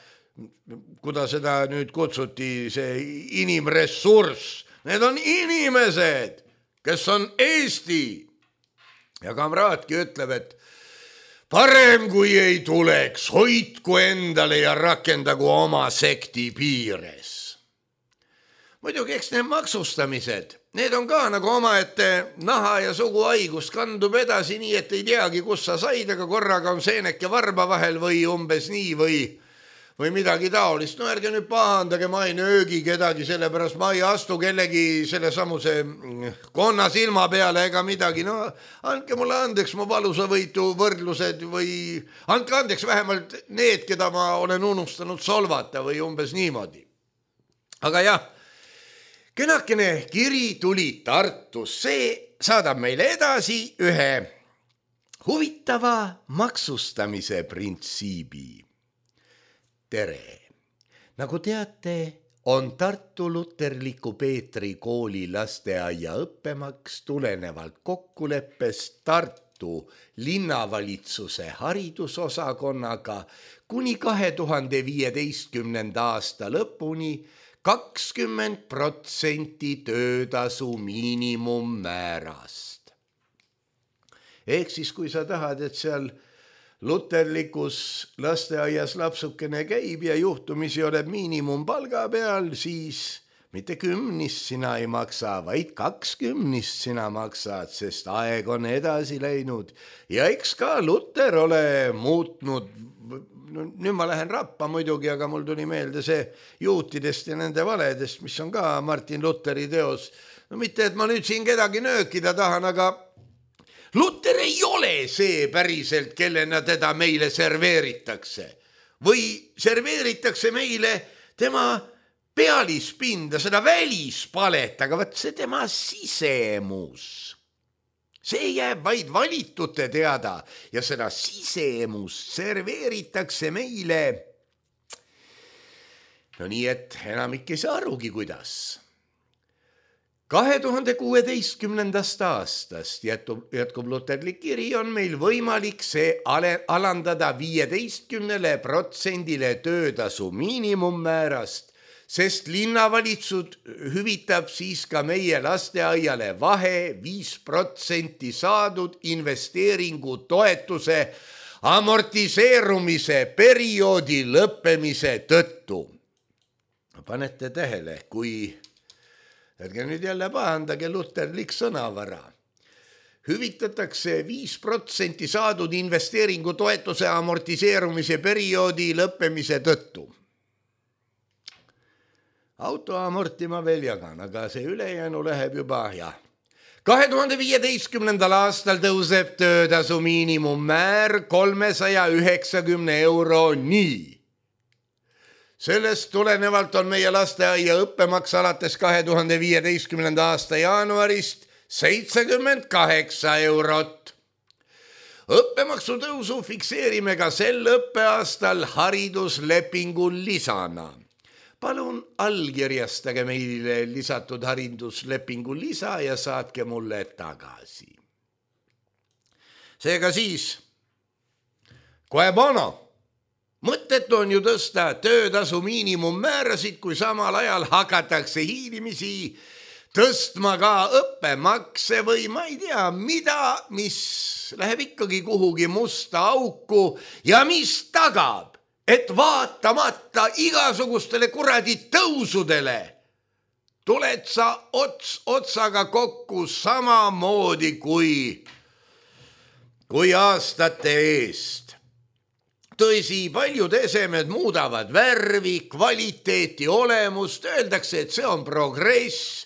kuda seda nüüd kutsuti, see inimressurss. Need on inimesed, kes on Eesti. Ja kamraadki ütleb, et parem kui ei tuleks, hoidku endale ja rakendagu oma sekti piires. Muidugi, eks need maksustamised, need on ka nagu omaette naha ja suguhaigus, kandub edasi nii, et ei teagi, kus sa said, aga korraga on seeneke varba vahel või umbes nii või midagi taolist. No ärge nüüd pahandage, ma ei nöögi kedagi, sellepärast ma ei astu kellegi selle samuse konna silma peale ega midagi. No andke mulle andeks mu valusavõitu võrdlused või andke andeks vähemalt need, keda ma olen unustanud solvata või umbes niimoodi. Aga jah, kenakene kiri tuli Tartus, see saadab meile edasi ühe huvitava maksustamise printsiibi. Tere! Nagu teate, on Tartu Luterliku Peetri kooli lasteaia õppemaks tulenevalt kokkuleppest Tartu linnavalitsuse haridusosakonnaga kuni 2015. aasta lõpuni 20% töötasu miinimummäärast. Ehk siis, kui sa tahad, et seal luterlikus lasteaias lapsukene käib ja juhtumisi oled miinimumpalga peal, siis mitte 10 sina ei maksa, vaid 20 sina maksad, sest aeg on edasi läinud. Ja eks ka Luter ole muutnud, nüüd ma lähen rappa muidugi, aga mul tuli meelde see juutidest ja nende valedest, mis on ka Martin Luteri teos. No mitte, et ma nüüd siin kedagi nöökida tahan, aga Luter ei ole see päriselt, kellena teda meile serveeritakse. Või serveeritakse meile tema pealispinda, seda välispalet, aga võt see tema sisemus. See jääb vaid valitute teada ja seda sisemust serveeritakse meile. No nii, et enamik ei saa arugi, kuidas. 2016. aastast jätkub luterlik kiri, on meil võimalik see alandada 15% töötasu miinimummäärast, sest linnavalitsus hüvitab siis ka meie lasteaiale vahe 5% saadud investeeringu toetuse amortiseerumise perioodi lõppemise tõttu. Panete tähele, kui ärge nüüd jälle pahandage luterlik sõnavara. Hüvitatakse 5% saadud investeeringu toetuse amortiseerumise perioodi lõppemise tõttu. Auto amortima veel jagan, aga see ülejäänu läheb juba, jah. 2015. aastal tõuseb töötasu miinimummäär 390 €. Sellest tulenevalt on meie lasteaia õppemaks alates 2015. aasta jaanuarist 78 €. õppemaksu tõusu fikseerime ka sel õppeaastal hariduslepingu lisana. Palun allkirjastage meile lisatud hariduslepingu lisa ja saatke mulle tagasi. Seega siis, kohe bono. Mõttetu on ju tõsta töötasu miinimummäärasid, kui samal ajal hakatakse hiilimisi tõstma ka õppemakse või ma ei tea mida, mis läheb ikkagi kuhugi musta auku ja mis tagab, et vaatamata igasugustele kuradi tõusudele tuled sa otsaga kokku samamoodi kui aastate eest. Tõsi, paljud esemed muudavad värvi, kvaliteeti, olemust, öeldakse, et see on progress.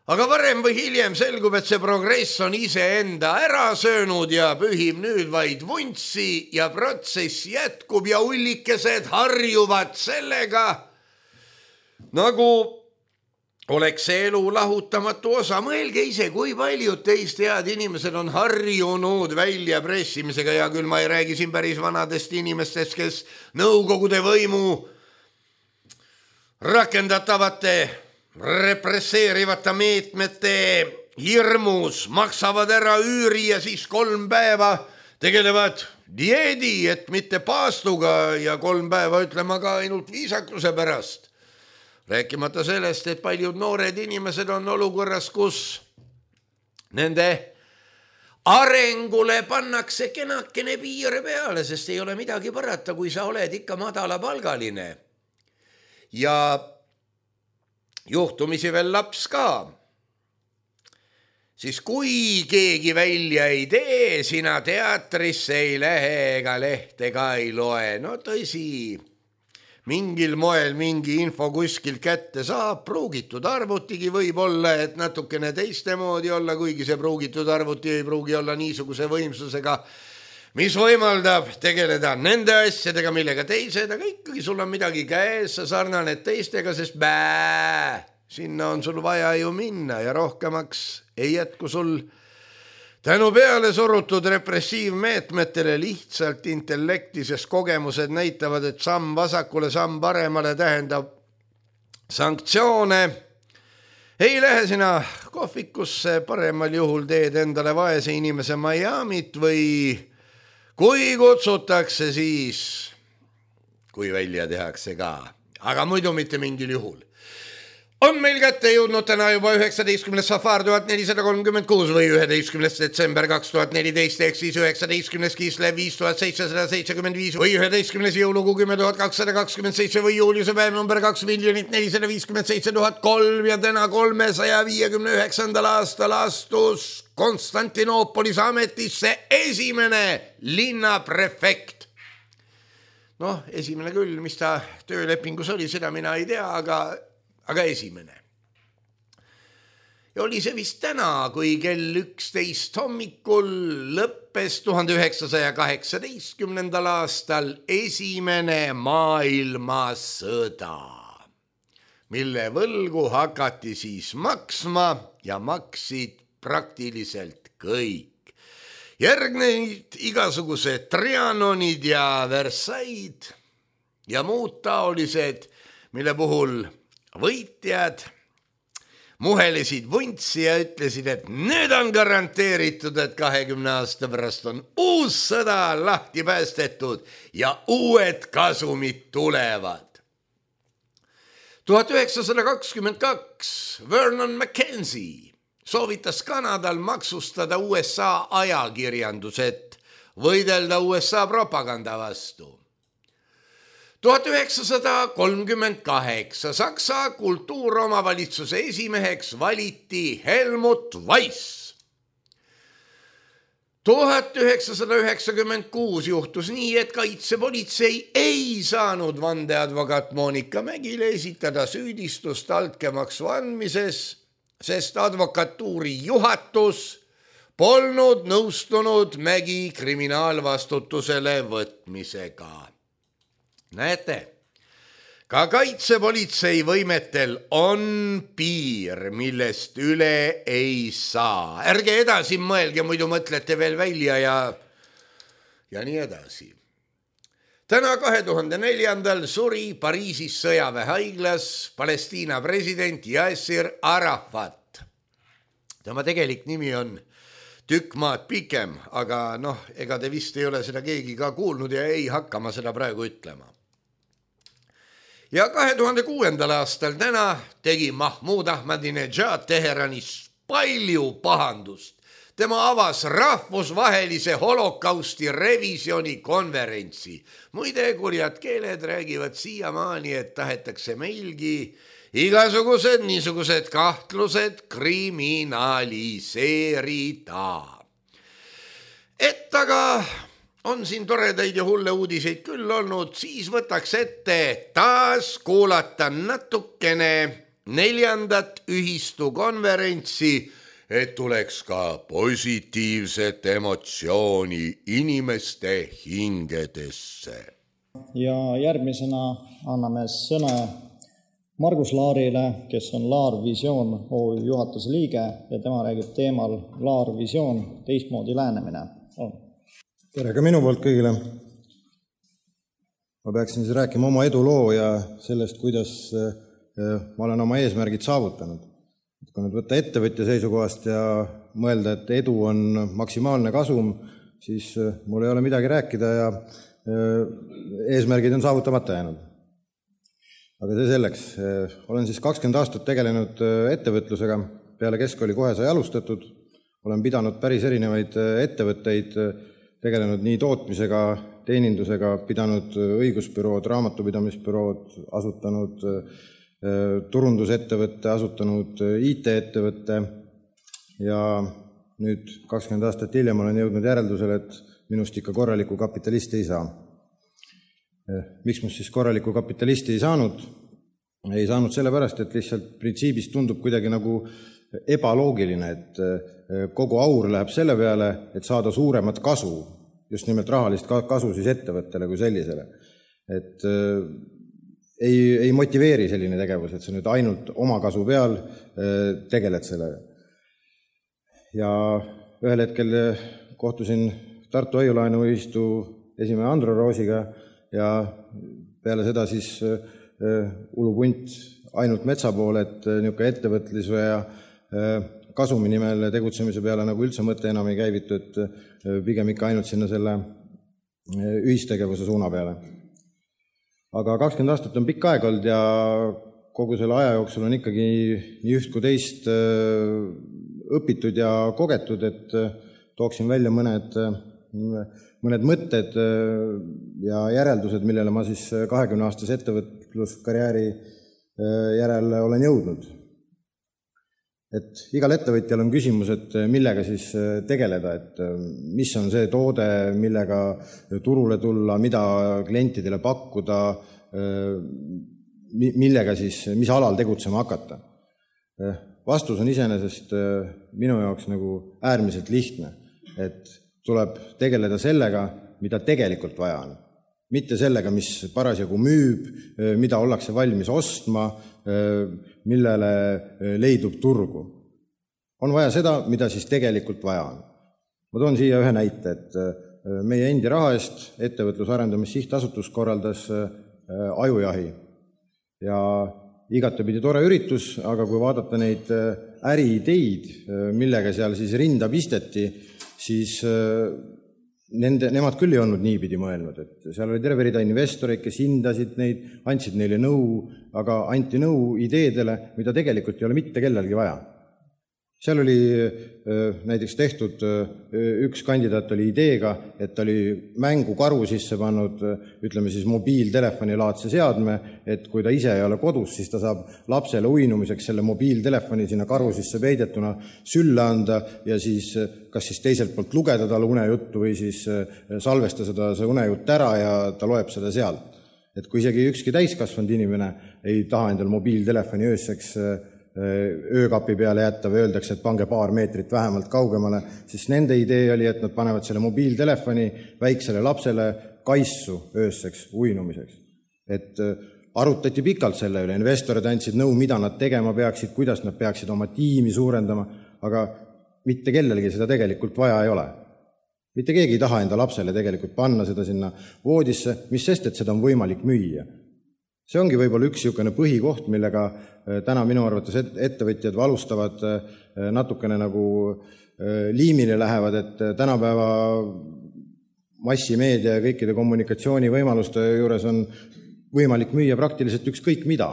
Aga varem või hiljem selgub, et see progress on iseenda ära söönud ja pühib nüüd vaid vuntsi ja protsess jätkub ja ullikesed harjuvad sellega, nagu oleks see elu lahutamatu osa. Mõelge ise, kui paljud teist head inimesed on harjunud väljapressimisega ja küll ma ei räägi siin päris vanadest inimestest, kes nõukogude võimu rakendatavate represseerivate meetmete hirmus maksavad ära üüri ja siis 3 päeva tegelevad dieedi, et mitte paastuga ja 3 päeva ütlema ka ainult viisakuse pärast. Rääkimata sellest, et paljud noored inimesed on olukorras, kus nende arengule pannakse kenakene piire peale, sest ei ole midagi parata, kui sa oled ikka madalapalgaline. Ja juhtumisi veel laps ka. Siis kui keegi välja ei tee, sina teatrisse ei lähe ega lehte ka ei loe. No tõsi, mingil moel mingi info kuskil kätte saab, pruugitud arvutigi võib olla, et natukene teiste moodi olla, kuigi see pruugitud arvuti ei pruugi olla niisuguse võimsusega, mis võimaldab tegeleda nende asjadega, millega teised, aga ikkagi sul on midagi käes, sa sarnaned teistega, sest sinna on sul vaja ju minna ja rohkemaks ei jätku sul tänu peale surutud repressiivmeetmetele lihtsalt intellekti, sest kogemused näitavad, et samm vasakule, samm paremale tähendab sanktsioone. Ei lähe sina kohvikusse, paremal juhul teed endale vaese inimese Miamit või kui kutsutakse siis, kui välja tehakse ka, aga muidu mitte mingil juhul. On meil kätte jõudnud täna juba 19. safar 1436 või 11. detsember 2014 ehk siis 19. Kislev 5775 või 11. jõulukuu 10227 või juuliuse päev number 2 457 003 ja täna 359. aastal astus Konstantinoopolis ametisse esimene linnaprefekt. Noh, esimene küll, mis ta töölepingus oli, seda mina ei tea, aga esimene. Ja oli see vist täna, kui kell 11 hommikul lõppes 1918. aastal esimene maailmasõda, mille võlgu hakati siis maksma ja maksid praktiliselt kõik. Järgneid igasugused Trianonid ja Versailles ja muud taolised, mille puhul võitjad muhelesid vuntsi ja ütlesid, et nüüd on garanteeritud, et 20 aasta pärast on uus sõda lahti päästetud ja uued kasumid tulevad. 1922 Vernon McKenzie soovitas Kanadal maksustada USA ajakirjandused, võidelda USA propaganda vastu. 1938 Saksa kultuuromavalitsuse esimeheks valiti Helmut Weiss. 1996 juhtus nii, et kaitsepolitsei ei saanud vandeadvokaat Monika Mägile esitada süüdistust altkäemaksu andmises, sest advokatuuri juhatus polnud nõustunud Mägi kriminaalvastutusele võtmisega. Näete, ka kaitsepolitsei võimetel on piir, millest üle ei saa. Ärge edasi mõelge, muidu mõtlete veel välja ja ja nii edasi. Täna 2004. suri Pariisis sõjaväehaiglas Palestiina president Yasser Arafat. Tema tegelik nimi on tükk maad pikem, aga ega te vist ei ole seda keegi ka kuulnud ja ei hakka ma seda praegu ütlema. Ja 2006. aastal täna tegi Mahmoud Ahmadinejad Teheranis palju pahandust. Tema avas rahvusvahelise holokausti revisjoni konverentsi. Muide, kurjad keeled räägivad siiamaani, et tahetakse meilgi igasugused niisugused kahtlused kriminaliseerida. Et aga on siin toredaid ja hulle uudiseid küll olnud, siis võtaks ette taas kuulata natukene 4. ühistukonverentsi, et tuleks ka positiivset emotsiooni inimeste hingedesse. Ja järgmisena anname sõna Margus Laarile, kes on Laar Visioon OÜ juhatuse liige ja tema räägib teemal Laar Visioon teistmoodi lähenemine. Tere ka minu poolt kõigile. Ma peaksin siis rääkima oma eduloo ja sellest, kuidas ma olen oma eesmärgid saavutanud. Kui nüüd võtta ettevõtja seisukohast ja mõelda, et edu on maksimaalne kasum, siis mul ei ole midagi rääkida ja eesmärgid on saavutamata jäänud. Aga see selleks. Olen siis 20 aastat tegelenud ettevõtlusega, peale keskkooli kohe sai alustatud. Olen pidanud päris erinevaid ettevõtteid, tegelenud nii tootmisega, teenindusega, pidanud õigusbürood, raamatupidamisbürood, asutanud turundusettevõtte, asutanud IT-ettevõtte ja nüüd 20 aastat hiljem olen jõudnud järeldusele, et minust ikka korralikku kapitalisti ei saa. Miks must siis korralikku kapitalisti ei saanud? Ei saanud sellepärast, et lihtsalt printsiibis tundub kuidagi nagu ebaloogiline, et kogu aur läheb selle peale, et saada suuremat kasu, just nimelt rahalist kasu siis ettevõttele kui sellisele. Et ei motiveeri selline tegevus, et sa nüüd ainult oma kasu peal tegeled sellega. Ja ühel hetkel kohtusin Tartu Hoiulaenuühistu esimehe Andro Roosiga ja peale seda siis ulupunt ainult metsa poole, et niisugune ettevõtluse ja kasumi nimel tegutsemise peale nagu üldse mõte enam ei käivitu, et pigem ikka ainult sinna selle ühistegevuse suuna peale. Aga 20 aastat on pikk aeg olnud ja kogu selle aja jooksul on ikkagi nii üht kui teist õpitud ja kogetud, et tooksin välja mõned mõtted ja järeldused, millele ma siis 20-aastase ettevõtluskarjääri järel olen jõudnud. Et igal ettevõtjal on küsimus, et millega siis tegeleda, et mis on see toode, millega turule tulla, mida klientidele pakkuda, millega siis, mis alal tegutsema hakata. Vastus on iseenesest minu jaoks nagu äärmiselt lihtne, et tuleb tegeleda sellega, mida tegelikult vaja on. Mitte sellega, mis parasjagu müüb, mida ollakse valmis ostma, millele leidub turgu. On vaja seda, mida siis tegelikult vaja on. Ma toon siia ühe näite, et meie endi raha eest ettevõtlusarendamis-sihtasutus korraldas ajujahi. Ja igatepidi tore üritus, aga kui vaadata neid äriideid, millega seal siis rinda pisteti, siis nemad küll ei olnud niipidi mõelnud, et seal oli terve rida investoreid, kes hindasid neid, andsid neile nõu, aga anti nõu ideedele, mida tegelikult ei ole mitte kellelgi vaja. Seal oli näiteks tehtud, üks kandidaat oli ideega, et ta oli mängukaru sisse pannud, ütleme siis mobiiltelefoni laadse seadme, et kui ta ise ei ole kodus, siis ta saab lapsele uinumiseks selle mobiiltelefoni sinna karu sisse peidetuna sülle anda ja siis kas siis teiselt poolt lugeda talle unejuttu või siis salvesta seda see unejutt ära ja ta loeb seda sealt. Et kui isegi ükski täiskasvanud inimene ei taha endal mobiiltelefoni ööseks öökapi peale jätta või öeldakse, et pange paar meetrit vähemalt kaugemale, siis nende idee oli, et nad panevad selle mobiiltelefoni väiksele lapsele kaissu ööseks uinumiseks. Et arutati pikalt selle üle, investorid andsid nõu, mida nad tegema peaksid, kuidas nad peaksid oma tiimi suurendama, aga mitte kellelgi seda tegelikult vaja ei ole. Mitte keegi ei taha enda lapsele tegelikult panna seda sinna voodisse, mis sest, et seda on võimalik müüa. See ongi võib-olla üks niisugune põhikoht, millega täna minu arvates ettevõtjad valustavad natukene nagu liimile lähevad, et tänapäeva massimeedia ja kõikide kommunikatsioonivõimaluste juures on võimalik müüa praktiliselt ükskõik mida.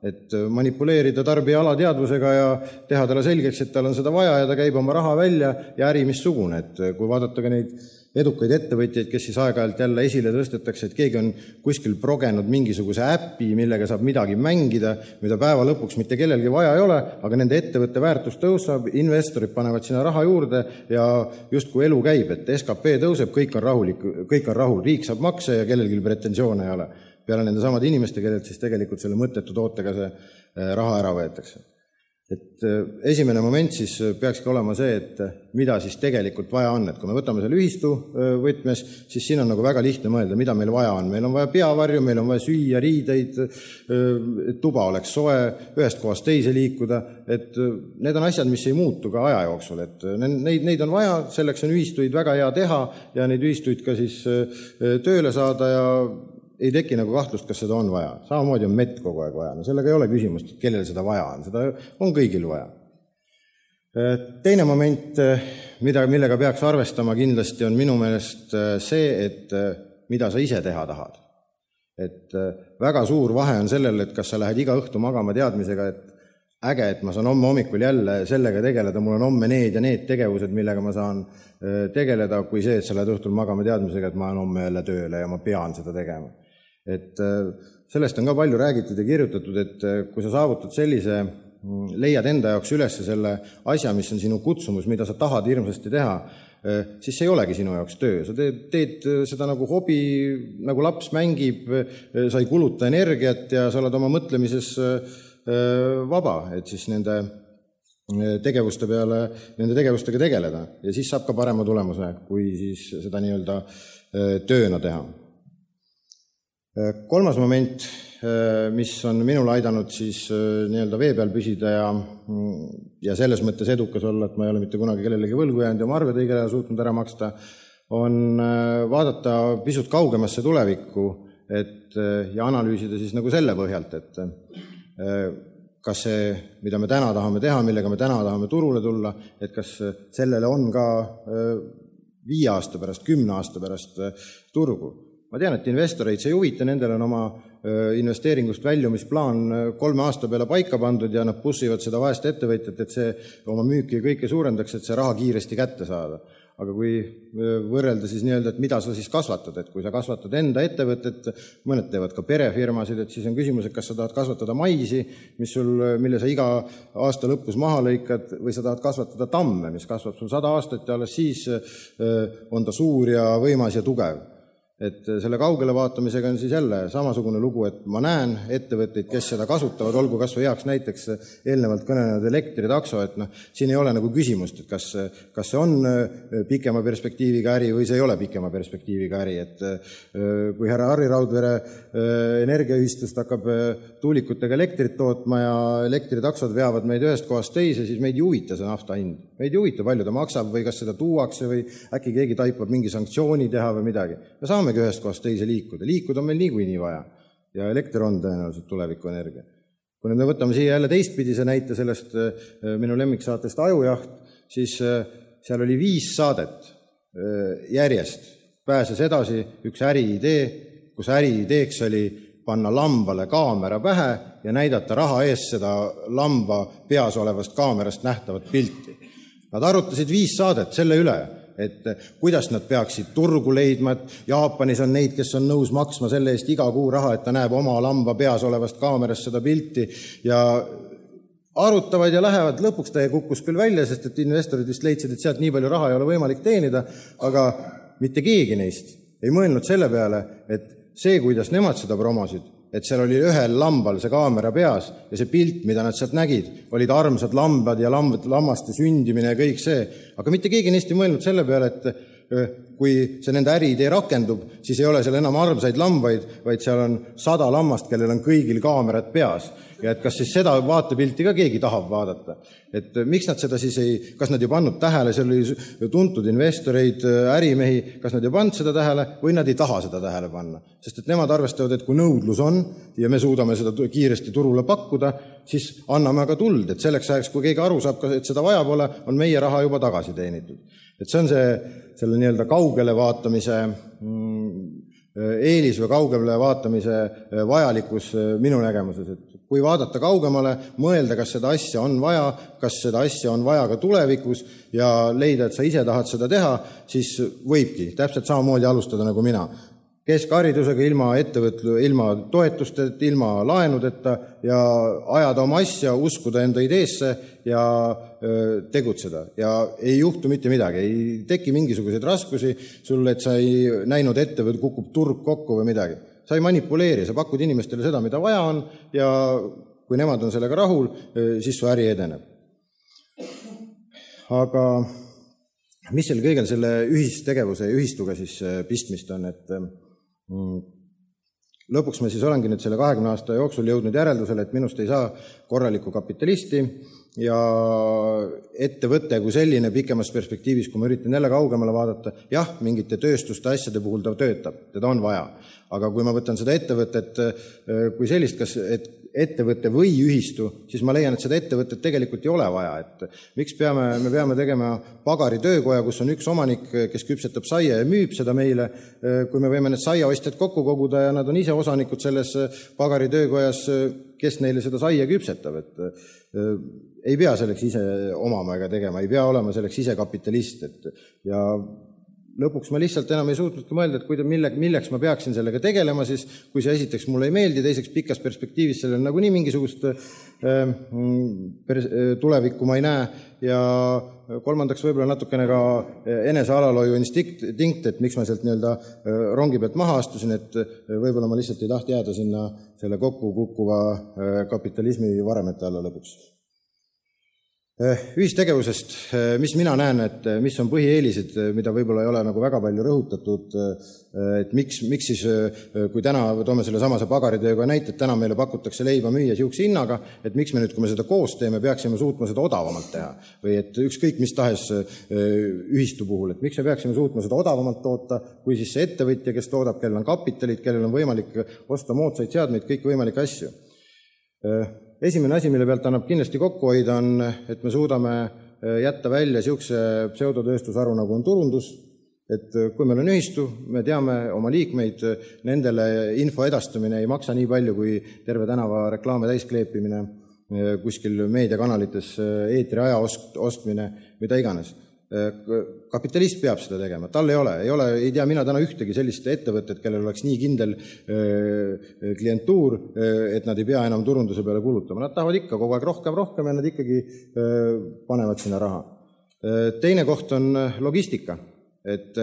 Et manipuleerida tarbija alateadvusega ja teha talle selgeks, et tal on seda vaja ja ta käib oma raha välja ja äri missugune. Et kui vaadata ka neid edukaid ettevõtjaid, kes siis aeg-ajalt jälle esile tõstetakse, et keegi on kuskil progenud mingisuguse äppi, millega saab midagi mängida, mida päeva lõpuks mitte kellelgi vaja ei ole, aga nende ettevõtte väärtus tõusab, investorid panevad sinna raha juurde ja justkui elu käib, et SKP tõuseb, kõik on rahul, riik saab makse ja kellelgi pretensioone ei ole. Peale nende samad inimeste, kellelt siis tegelikult selle mõttetu tootega see raha ära võetakse. Et esimene moment siis peakski olema see, et mida siis tegelikult vaja on. Et kui me võtame selle ühistu võtmes, siis siin on nagu väga lihtne mõelda, mida meil vaja on. Meil on vaja peavarju, meil on vaja süüa, riideid, et tuba oleks soe, ühest kohast teise liikuda. Et need on asjad, mis ei muutu ka aja jooksul. Et neid on vaja, selleks on ühistuid väga hea teha ja neid ühistuid ka siis tööle saada ja ei teki nagu kahtlust, kas seda on vaja. Samamoodi on mett kogu aeg vaja. No sellega ei ole küsimust, et kellel seda vaja on. Seda on kõigil vaja. Teine moment, millega peaks arvestama kindlasti, on minu meelest see, et mida sa ise teha tahad. Et väga suur vahe on sellel, et kas sa lähed iga õhtu magama teadmisega, et äge, et ma saan homme hommikul jälle sellega tegeleda, mul on homme need ja need tegevused, millega ma saan tegeleda, kui see, et sa lähed õhtul magama teadmisega, et ma olen homme jälle tööle ja ma pean seda tegema. Et sellest on ka palju räägitud ja kirjutatud, et kui sa saavutad sellise, leiad enda jaoks üles selle asja, mis on sinu kutsumus, mida sa tahad hirmsasti teha, siis see ei olegi sinu jaoks töö. Sa teed seda nagu hobi, nagu laps mängib, sa ei kuluta energiat ja sa oled oma mõtlemises vaba, et siis nende tegevustega tegeleda. Ja siis saab ka parema tulemuse, kui siis seda nii-öelda tööna teha. Kolmas moment, mis on minul aidanud siis nii-öelda vee peal püsida ja selles mõttes edukas olla, et ma ei ole mitte kunagi kellelegi võlgu jäänud ja oma arved õigel ajal suutnud ära maksta, on vaadata pisut kaugemasse tulevikku ja analüüsida siis nagu selle põhjalt, et kas see, mida me täna tahame teha, millega me täna tahame turule tulla, et kas sellele on ka 5 aasta pärast, 10 aasta pärast turgu. Ma tean, et investoreid see ei huvita, nendel on oma investeeringust väljumisplaan 3 aasta peale paika pandud ja nad pussivad seda vaest ettevõtjat, et see oma müüki kõike suurendaks, et see raha kiiresti kätte saada. Aga kui võrrelda siis nii-öelda, et mida sa siis kasvatad, et kui sa kasvatad enda ettevõtet, mõned teevad ka perefirmasid, et siis on küsimus, et kas sa tahad kasvatada maisi, mille sa iga aasta lõpus maha lõikad, või sa tahad kasvatada tamme, mis kasvab sul 100 aastat ja alles siis on ta suur ja võimas ja tugev. Et selle kaugele vaatamisega on siis jälle samasugune lugu, et ma näen ettevõtteid, kes seda kasutavad, olgu kas või heaks näiteks eelnevalt kõnenenud elektritakso, et siin ei ole nagu küsimust, et kas see on pikema perspektiiviga äri või see ei ole pikema perspektiiviga äri, et kui härra Harri Raudvere energiaühistust hakkab tuulikutega elektrit tootma ja elektritaksod veavad meid ühest kohast teise, siis meid ei huvita see nafta hind. Meid ei huvita, palju ta maksab või kas seda tuuakse või äkki keegi taipab mingi sanktsiooni teha või midagi. Me saamegi ühest kohast teise liikuda. Liikuda on meil niikuinii vaja ja elekter on tõenäoliselt tulevikuenergia. Kui nüüd me võtame siia jälle teistpidise näite sellest minu lemmiksaatest Ajujaht, siis seal oli 5 saadet järjest. Pääses edasi üks äriidee, kus äriideeks oli panna lambale kaamera pähe ja näidata raha ees seda lamba peas olevast kaamerast nähtavat pilti. Nad arutasid 5 saadet selle üle, et kuidas nad peaksid turgu leidma, et Jaapanis on neid, kes on nõus maksma selle eest iga kuu raha, et ta näeb oma lamba peas olevast kaamerast seda pilti ja arutavad ja lähevad. Lõpuks ta kukkus küll välja, sest et investorid vist leidsid, et sealt nii palju raha ei ole võimalik teenida, aga mitte keegi neist ei mõelnud selle peale, et see, kuidas nemad seda promosid, et seal oli ühel lambal see kaamera peas ja see pilt, mida nad sealt nägid, olid armsad lambad ja lammaste sündimine ja kõik see. Aga mitte keegi neist ei mõelnud selle peale, et kui see nende äriidee rakendub, siis ei ole seal enam armsaid lambaid, vaid seal on 100 lammast, kellel on kõigil kaamerad peas. Ja et kas siis seda vaatepilti ka keegi tahab vaadata. Et miks nad seda siis ei, kas nad ei pannud tähele, seal oli tuntud investoreid, ärimehi, kas nad ei pannud seda tähele või nad ei taha seda tähele panna. Sest et nemad arvestavad, et kui nõudlus on ja me suudame seda kiiresti turule pakkuda, siis anname aga tuld, et selleks ajaks, kui keegi aru saab, et seda vaja pole, on meie raha juba tagasi teenitud. Et see on selle nii-öelda kaugele vaatamise eelis või kaugele vaatamise vajalikkus minu nägemuses, et kui vaadata kaugemale, mõelda, kas seda asja on vaja, kas seda asja on vaja ka tulevikus ja leida, et sa ise tahad seda teha, siis võibki täpselt samamoodi alustada nagu mina. Keskharidusega, ilma toetusteta, ilma laenudeta ja ajada oma asja, uskuda enda ideesse ja tegutseda. Ja ei juhtu mitte midagi, ei teki mingisuguseid raskusi sulle, et sa ei näinud ette või kukub turg kokku või midagi. Sa ei manipuleeri, sa pakud inimestele seda, mida vaja on ja kui nemad on sellega rahul, siis su äri edeneb. Aga mis seal kõigel selle ühistegevuse ja ühistuga siis pistmist on, et lõpuks ma siis olengi nüüd selle 20 aasta jooksul jõudnud järeldusele, et minust ei saa korralikku kapitalisti ja ettevõte kui selline pikemas perspektiivis, kui ma üritan jälle kaugemale vaadata, jah, mingite tööstuste asjade puhul ta töötab, teda on vaja. Aga kui ma võtan seda ettevõtet kui sellist, kas ettevõte või ühistu, siis ma leian, et seda ettevõtet tegelikult ei ole vaja. Et miks me peame tegema pagari töökoja, kus on üks omanik, kes küpsetab saia ja müüb seda meile, kui me võime need saiaostjad kokku koguda ja nad on ise osanikud selles pagari töökojas, kes neile seda saia küpsetab. Et ei pea selleks ise omama ega tegema, ei pea olema selleks ise kapitalist. Ja lõpuks ma lihtsalt enam ei suutnudki mõelda, et milleks ma peaksin sellega tegelema, siis kui see esiteks mulle ei meeldi, teiseks pikas perspektiivis sellel nagunii mingisugust tulevikku ma ei näe ja kolmandaks võib-olla natukene ka enesealalhoiu instinkt, et miks ma sealt nii-öelda rongi pealt maha astusin, et võib-olla ma lihtsalt ei taht jääda sinna selle kokku kukkuva kapitalismi varemete alla lõpuks. Ühistegevusest, mis mina näen, et mis on põhieelised, mida võib-olla ei ole nagu väga palju rõhutatud, et miks siis, kui täna toome selle samase pagaritööga näite, et täna meile pakutakse leiba müüa siukse hinnaga, et miks me nüüd, kui me seda koos teeme, peaksime suutma seda odavamalt teha või et ükskõik mis tahes ühistu puhul, et miks me peaksime suutma seda odavamalt toota, kui siis see ettevõtja, kes toodab, kellel on kapitalid, kellel on võimalik osta moodsaid seadmeid, kõik võimalikke asju. Esimene asi, mille pealt annab kindlasti kokku hoida, on, et me suudame jätta välja siukse pseudotööstusharu, nagu on turundus, et kui meil on ühistu, me teame oma liikmeid, nendele info edastamine ei maksa nii palju, kui terve tänava reklaame täiskleepimine, kuskil meediakanalites eetri aja ostmine, mida iganes. Kapitalist peab seda tegema, tal ei tea mina täna ühtegi sellist ettevõtet, kellel oleks nii kindel klientuur, et nad ei pea enam turunduse peale kulutama. Nad tahavad ikka kogu aeg rohkem ja nad ikkagi panevad sinna raha. Teine koht on logistika, et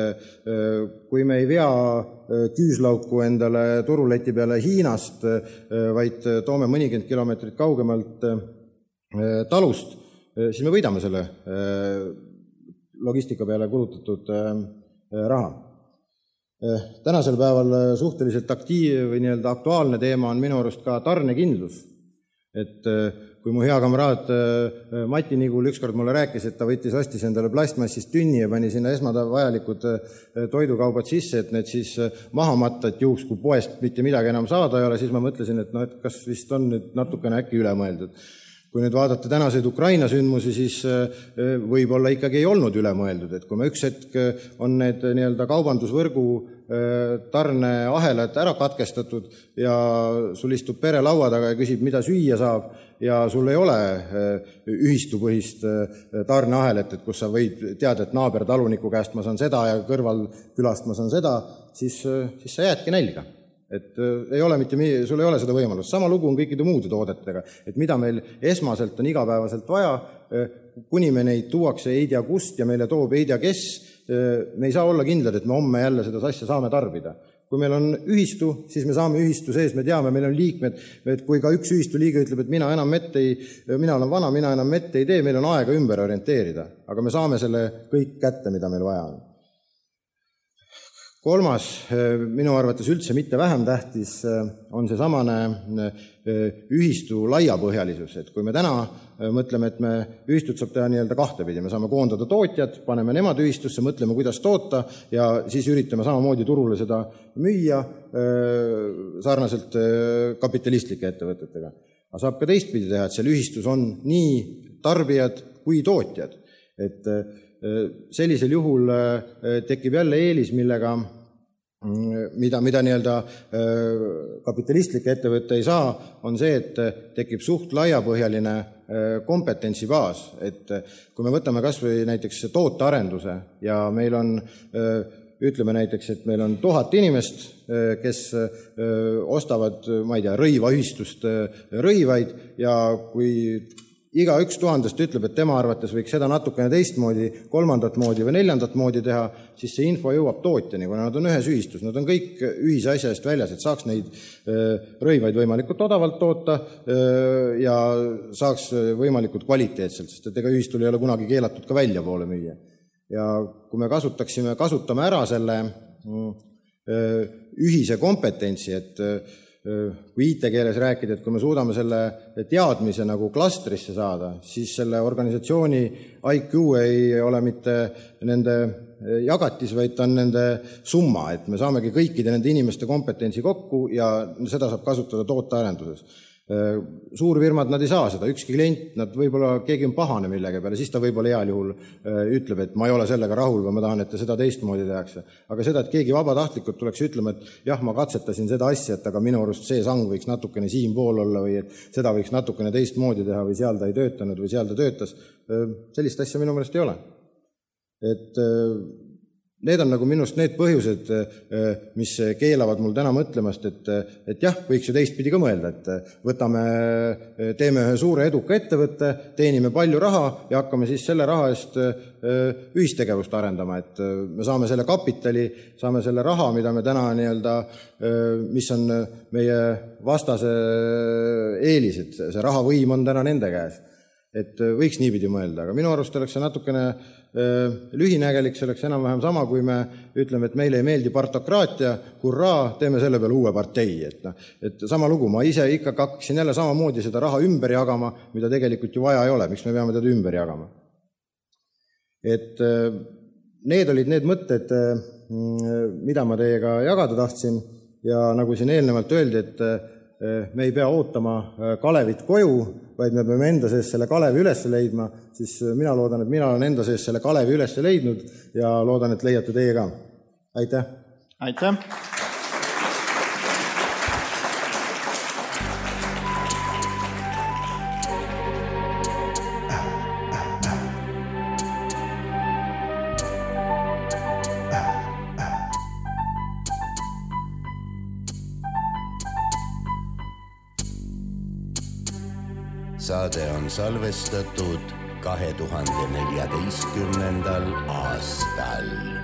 kui me ei vea küüslauku endale turuleti peale Hiinast, vaid toome mõnikümmend kilomeetrit kaugemalt talust, siis me võidame selle logistika peale kulutatud raha. Tänasel päeval suhteliselt aktuaalne teema on minu arust ka tarnekindlus. Et kui mu hea kamraad Mati Nigul ükskord mulle rääkis, et ta ostis endale plastmassist tünni ja pani sinna esmavajalikud toidukaubad sisse, et need siis maha matta, et juhuks, kui poest mitte midagi enam saada ei ole, siis ma mõtlesin, et kas vist on nüüd natukene äkki üle mõeldud. Kui nüüd vaadata tänaseid Ukraina sündmusi, siis võib-olla ikkagi ei olnud üle mõeldud, et kui me üks hetk on need nii-öelda kaubandusvõrgu tarneahelad ära katkestatud ja sul istub pere laua taga ja küsib, mida süüa saab ja sul ei ole ühistupõhist tarneahelat, et kus sa võid teada, et naabertaluniku käest ma saan seda ja kõrval külast ma saan seda, siis sa jäädki nälga. Et sul ei ole seda võimalust. Sama lugu on kõikide muude toodetega, et mida meil esmaselt on igapäevaselt vaja, kuni me neid tuuakse ei tea kust ja meile toob ei tea kes, me ei saa olla kindlad, et me homme jälle seda asja saame tarbida. Kui meil on ühistu, siis me saame ühistu sees, me teame, meil on liikmed, et kui ka üks ühistu liige ütleb, et mina olen vana, mina enam mette ei tee, meil on aega ümber orienteerida, aga me saame selle kõik kätte, mida meil vaja on. kolmas, minu arvates üldse mitte vähem tähtis, on see samane ühistu laiapõhjalisus. Et kui me täna mõtleme, et me ühistut saab teha nii-öelda kahtepidi, me saame koondada tootjad, paneme nemad ühistusse, mõtleme, kuidas toota ja siis üritame samamoodi turule seda müüa sarnaselt kapitalistlike ettevõtetega. Aga saab ka teistpidi teha, et seal ühistus on nii tarbijad kui tootjad. Et sellisel juhul tekib jälle eelis, mida nii-öelda kapitalistlik ettevõte ei saa, on see, et tekib suht laiapõhjaline kompetentsibaas. Et kui me võtame kas või näiteks tootearenduse ja meil on, ütleme näiteks, et meil on 1000 inimest, kes ostavad, ma ei tea, rõivaühistust rõivaid ja kui iga 1000 ütleb, et tema arvates võiks seda natukene teistmoodi, 3. moodi või 4. moodi teha, siis see info jõuab tootjani, kuna nad on ühes ühistus. Nad on kõik ühise asja eest väljas, et saaks neid rõivaid võimalikult odavalt toota ja saaks võimalikult kvaliteetselt, sest et ega ühistul ei ole kunagi keelatud ka välja poole müüa. Ja kui me kasutame ära selle ühise kompetentsi, et kui IT-keeles rääkida, et kui me suudame selle teadmise nagu klastrisse saada, siis selle organisatsiooni IQ ei ole mitte nende jagatis, vaid ta on nende summa, et me saamegi kõikide nende inimeste kompetentsi kokku ja seda saab kasutada tootearenduses. Suurfirmad nad ei saa seda, ükski klient, nad võib-olla keegi on pahane millegi peale, siis ta võib-olla heal juhul ütleb, et ma ei ole sellega rahul või ma tahan, et seda teistmoodi tehakse. Aga seda, et keegi vabatahtlikult tuleks ütlema, et jah, ma katsetasin seda asja, et aga minu arust see sang võiks natukene siin pool olla või et seda võiks natukene teistmoodi teha või seal ta ei töötanud või seal ta töötas, sellist asja minu meelest ei ole. Et need on nagu minust need põhjused, mis keelavad mul täna mõtlemast, et jah, võiks ju teistpidi ka mõelda, et teeme ühe suure eduka ettevõtte, teenime palju raha ja hakkame siis selle raha eest ühistegevust arendama, et me saame selle kapitali, saame selle raha, mida me täna nii-öelda, mis on meie vastase eelis, et see rahavõim on täna nende käes. Et võiks niipidi mõelda, aga minu arust oleks see natukene lühinägelik, see oleks enam-vähem sama, kui me ütleme, et meile ei meeldi partokraatia, hurraa, teeme selle peale uue partei. Et sama lugu, ma ise ikka hakkaksin jälle samamoodi seda raha ümber jagama, mida tegelikult ju vaja ei ole, miks me peame teda ümber jagama. Et need olid need mõtted, mida ma teiega jagada tahtsin ja nagu siin eelnevalt öeldi, et me ei pea ootama Kalevit koju, vaid me peame enda sees selle Kalevi üles leidma, siis mina loodan, et mina olen enda sees selle Kalevi üles leidnud ja loodan, et leiate teie ka. Aitäh! Aitäh! Saade on salvestatud 2014. aastal.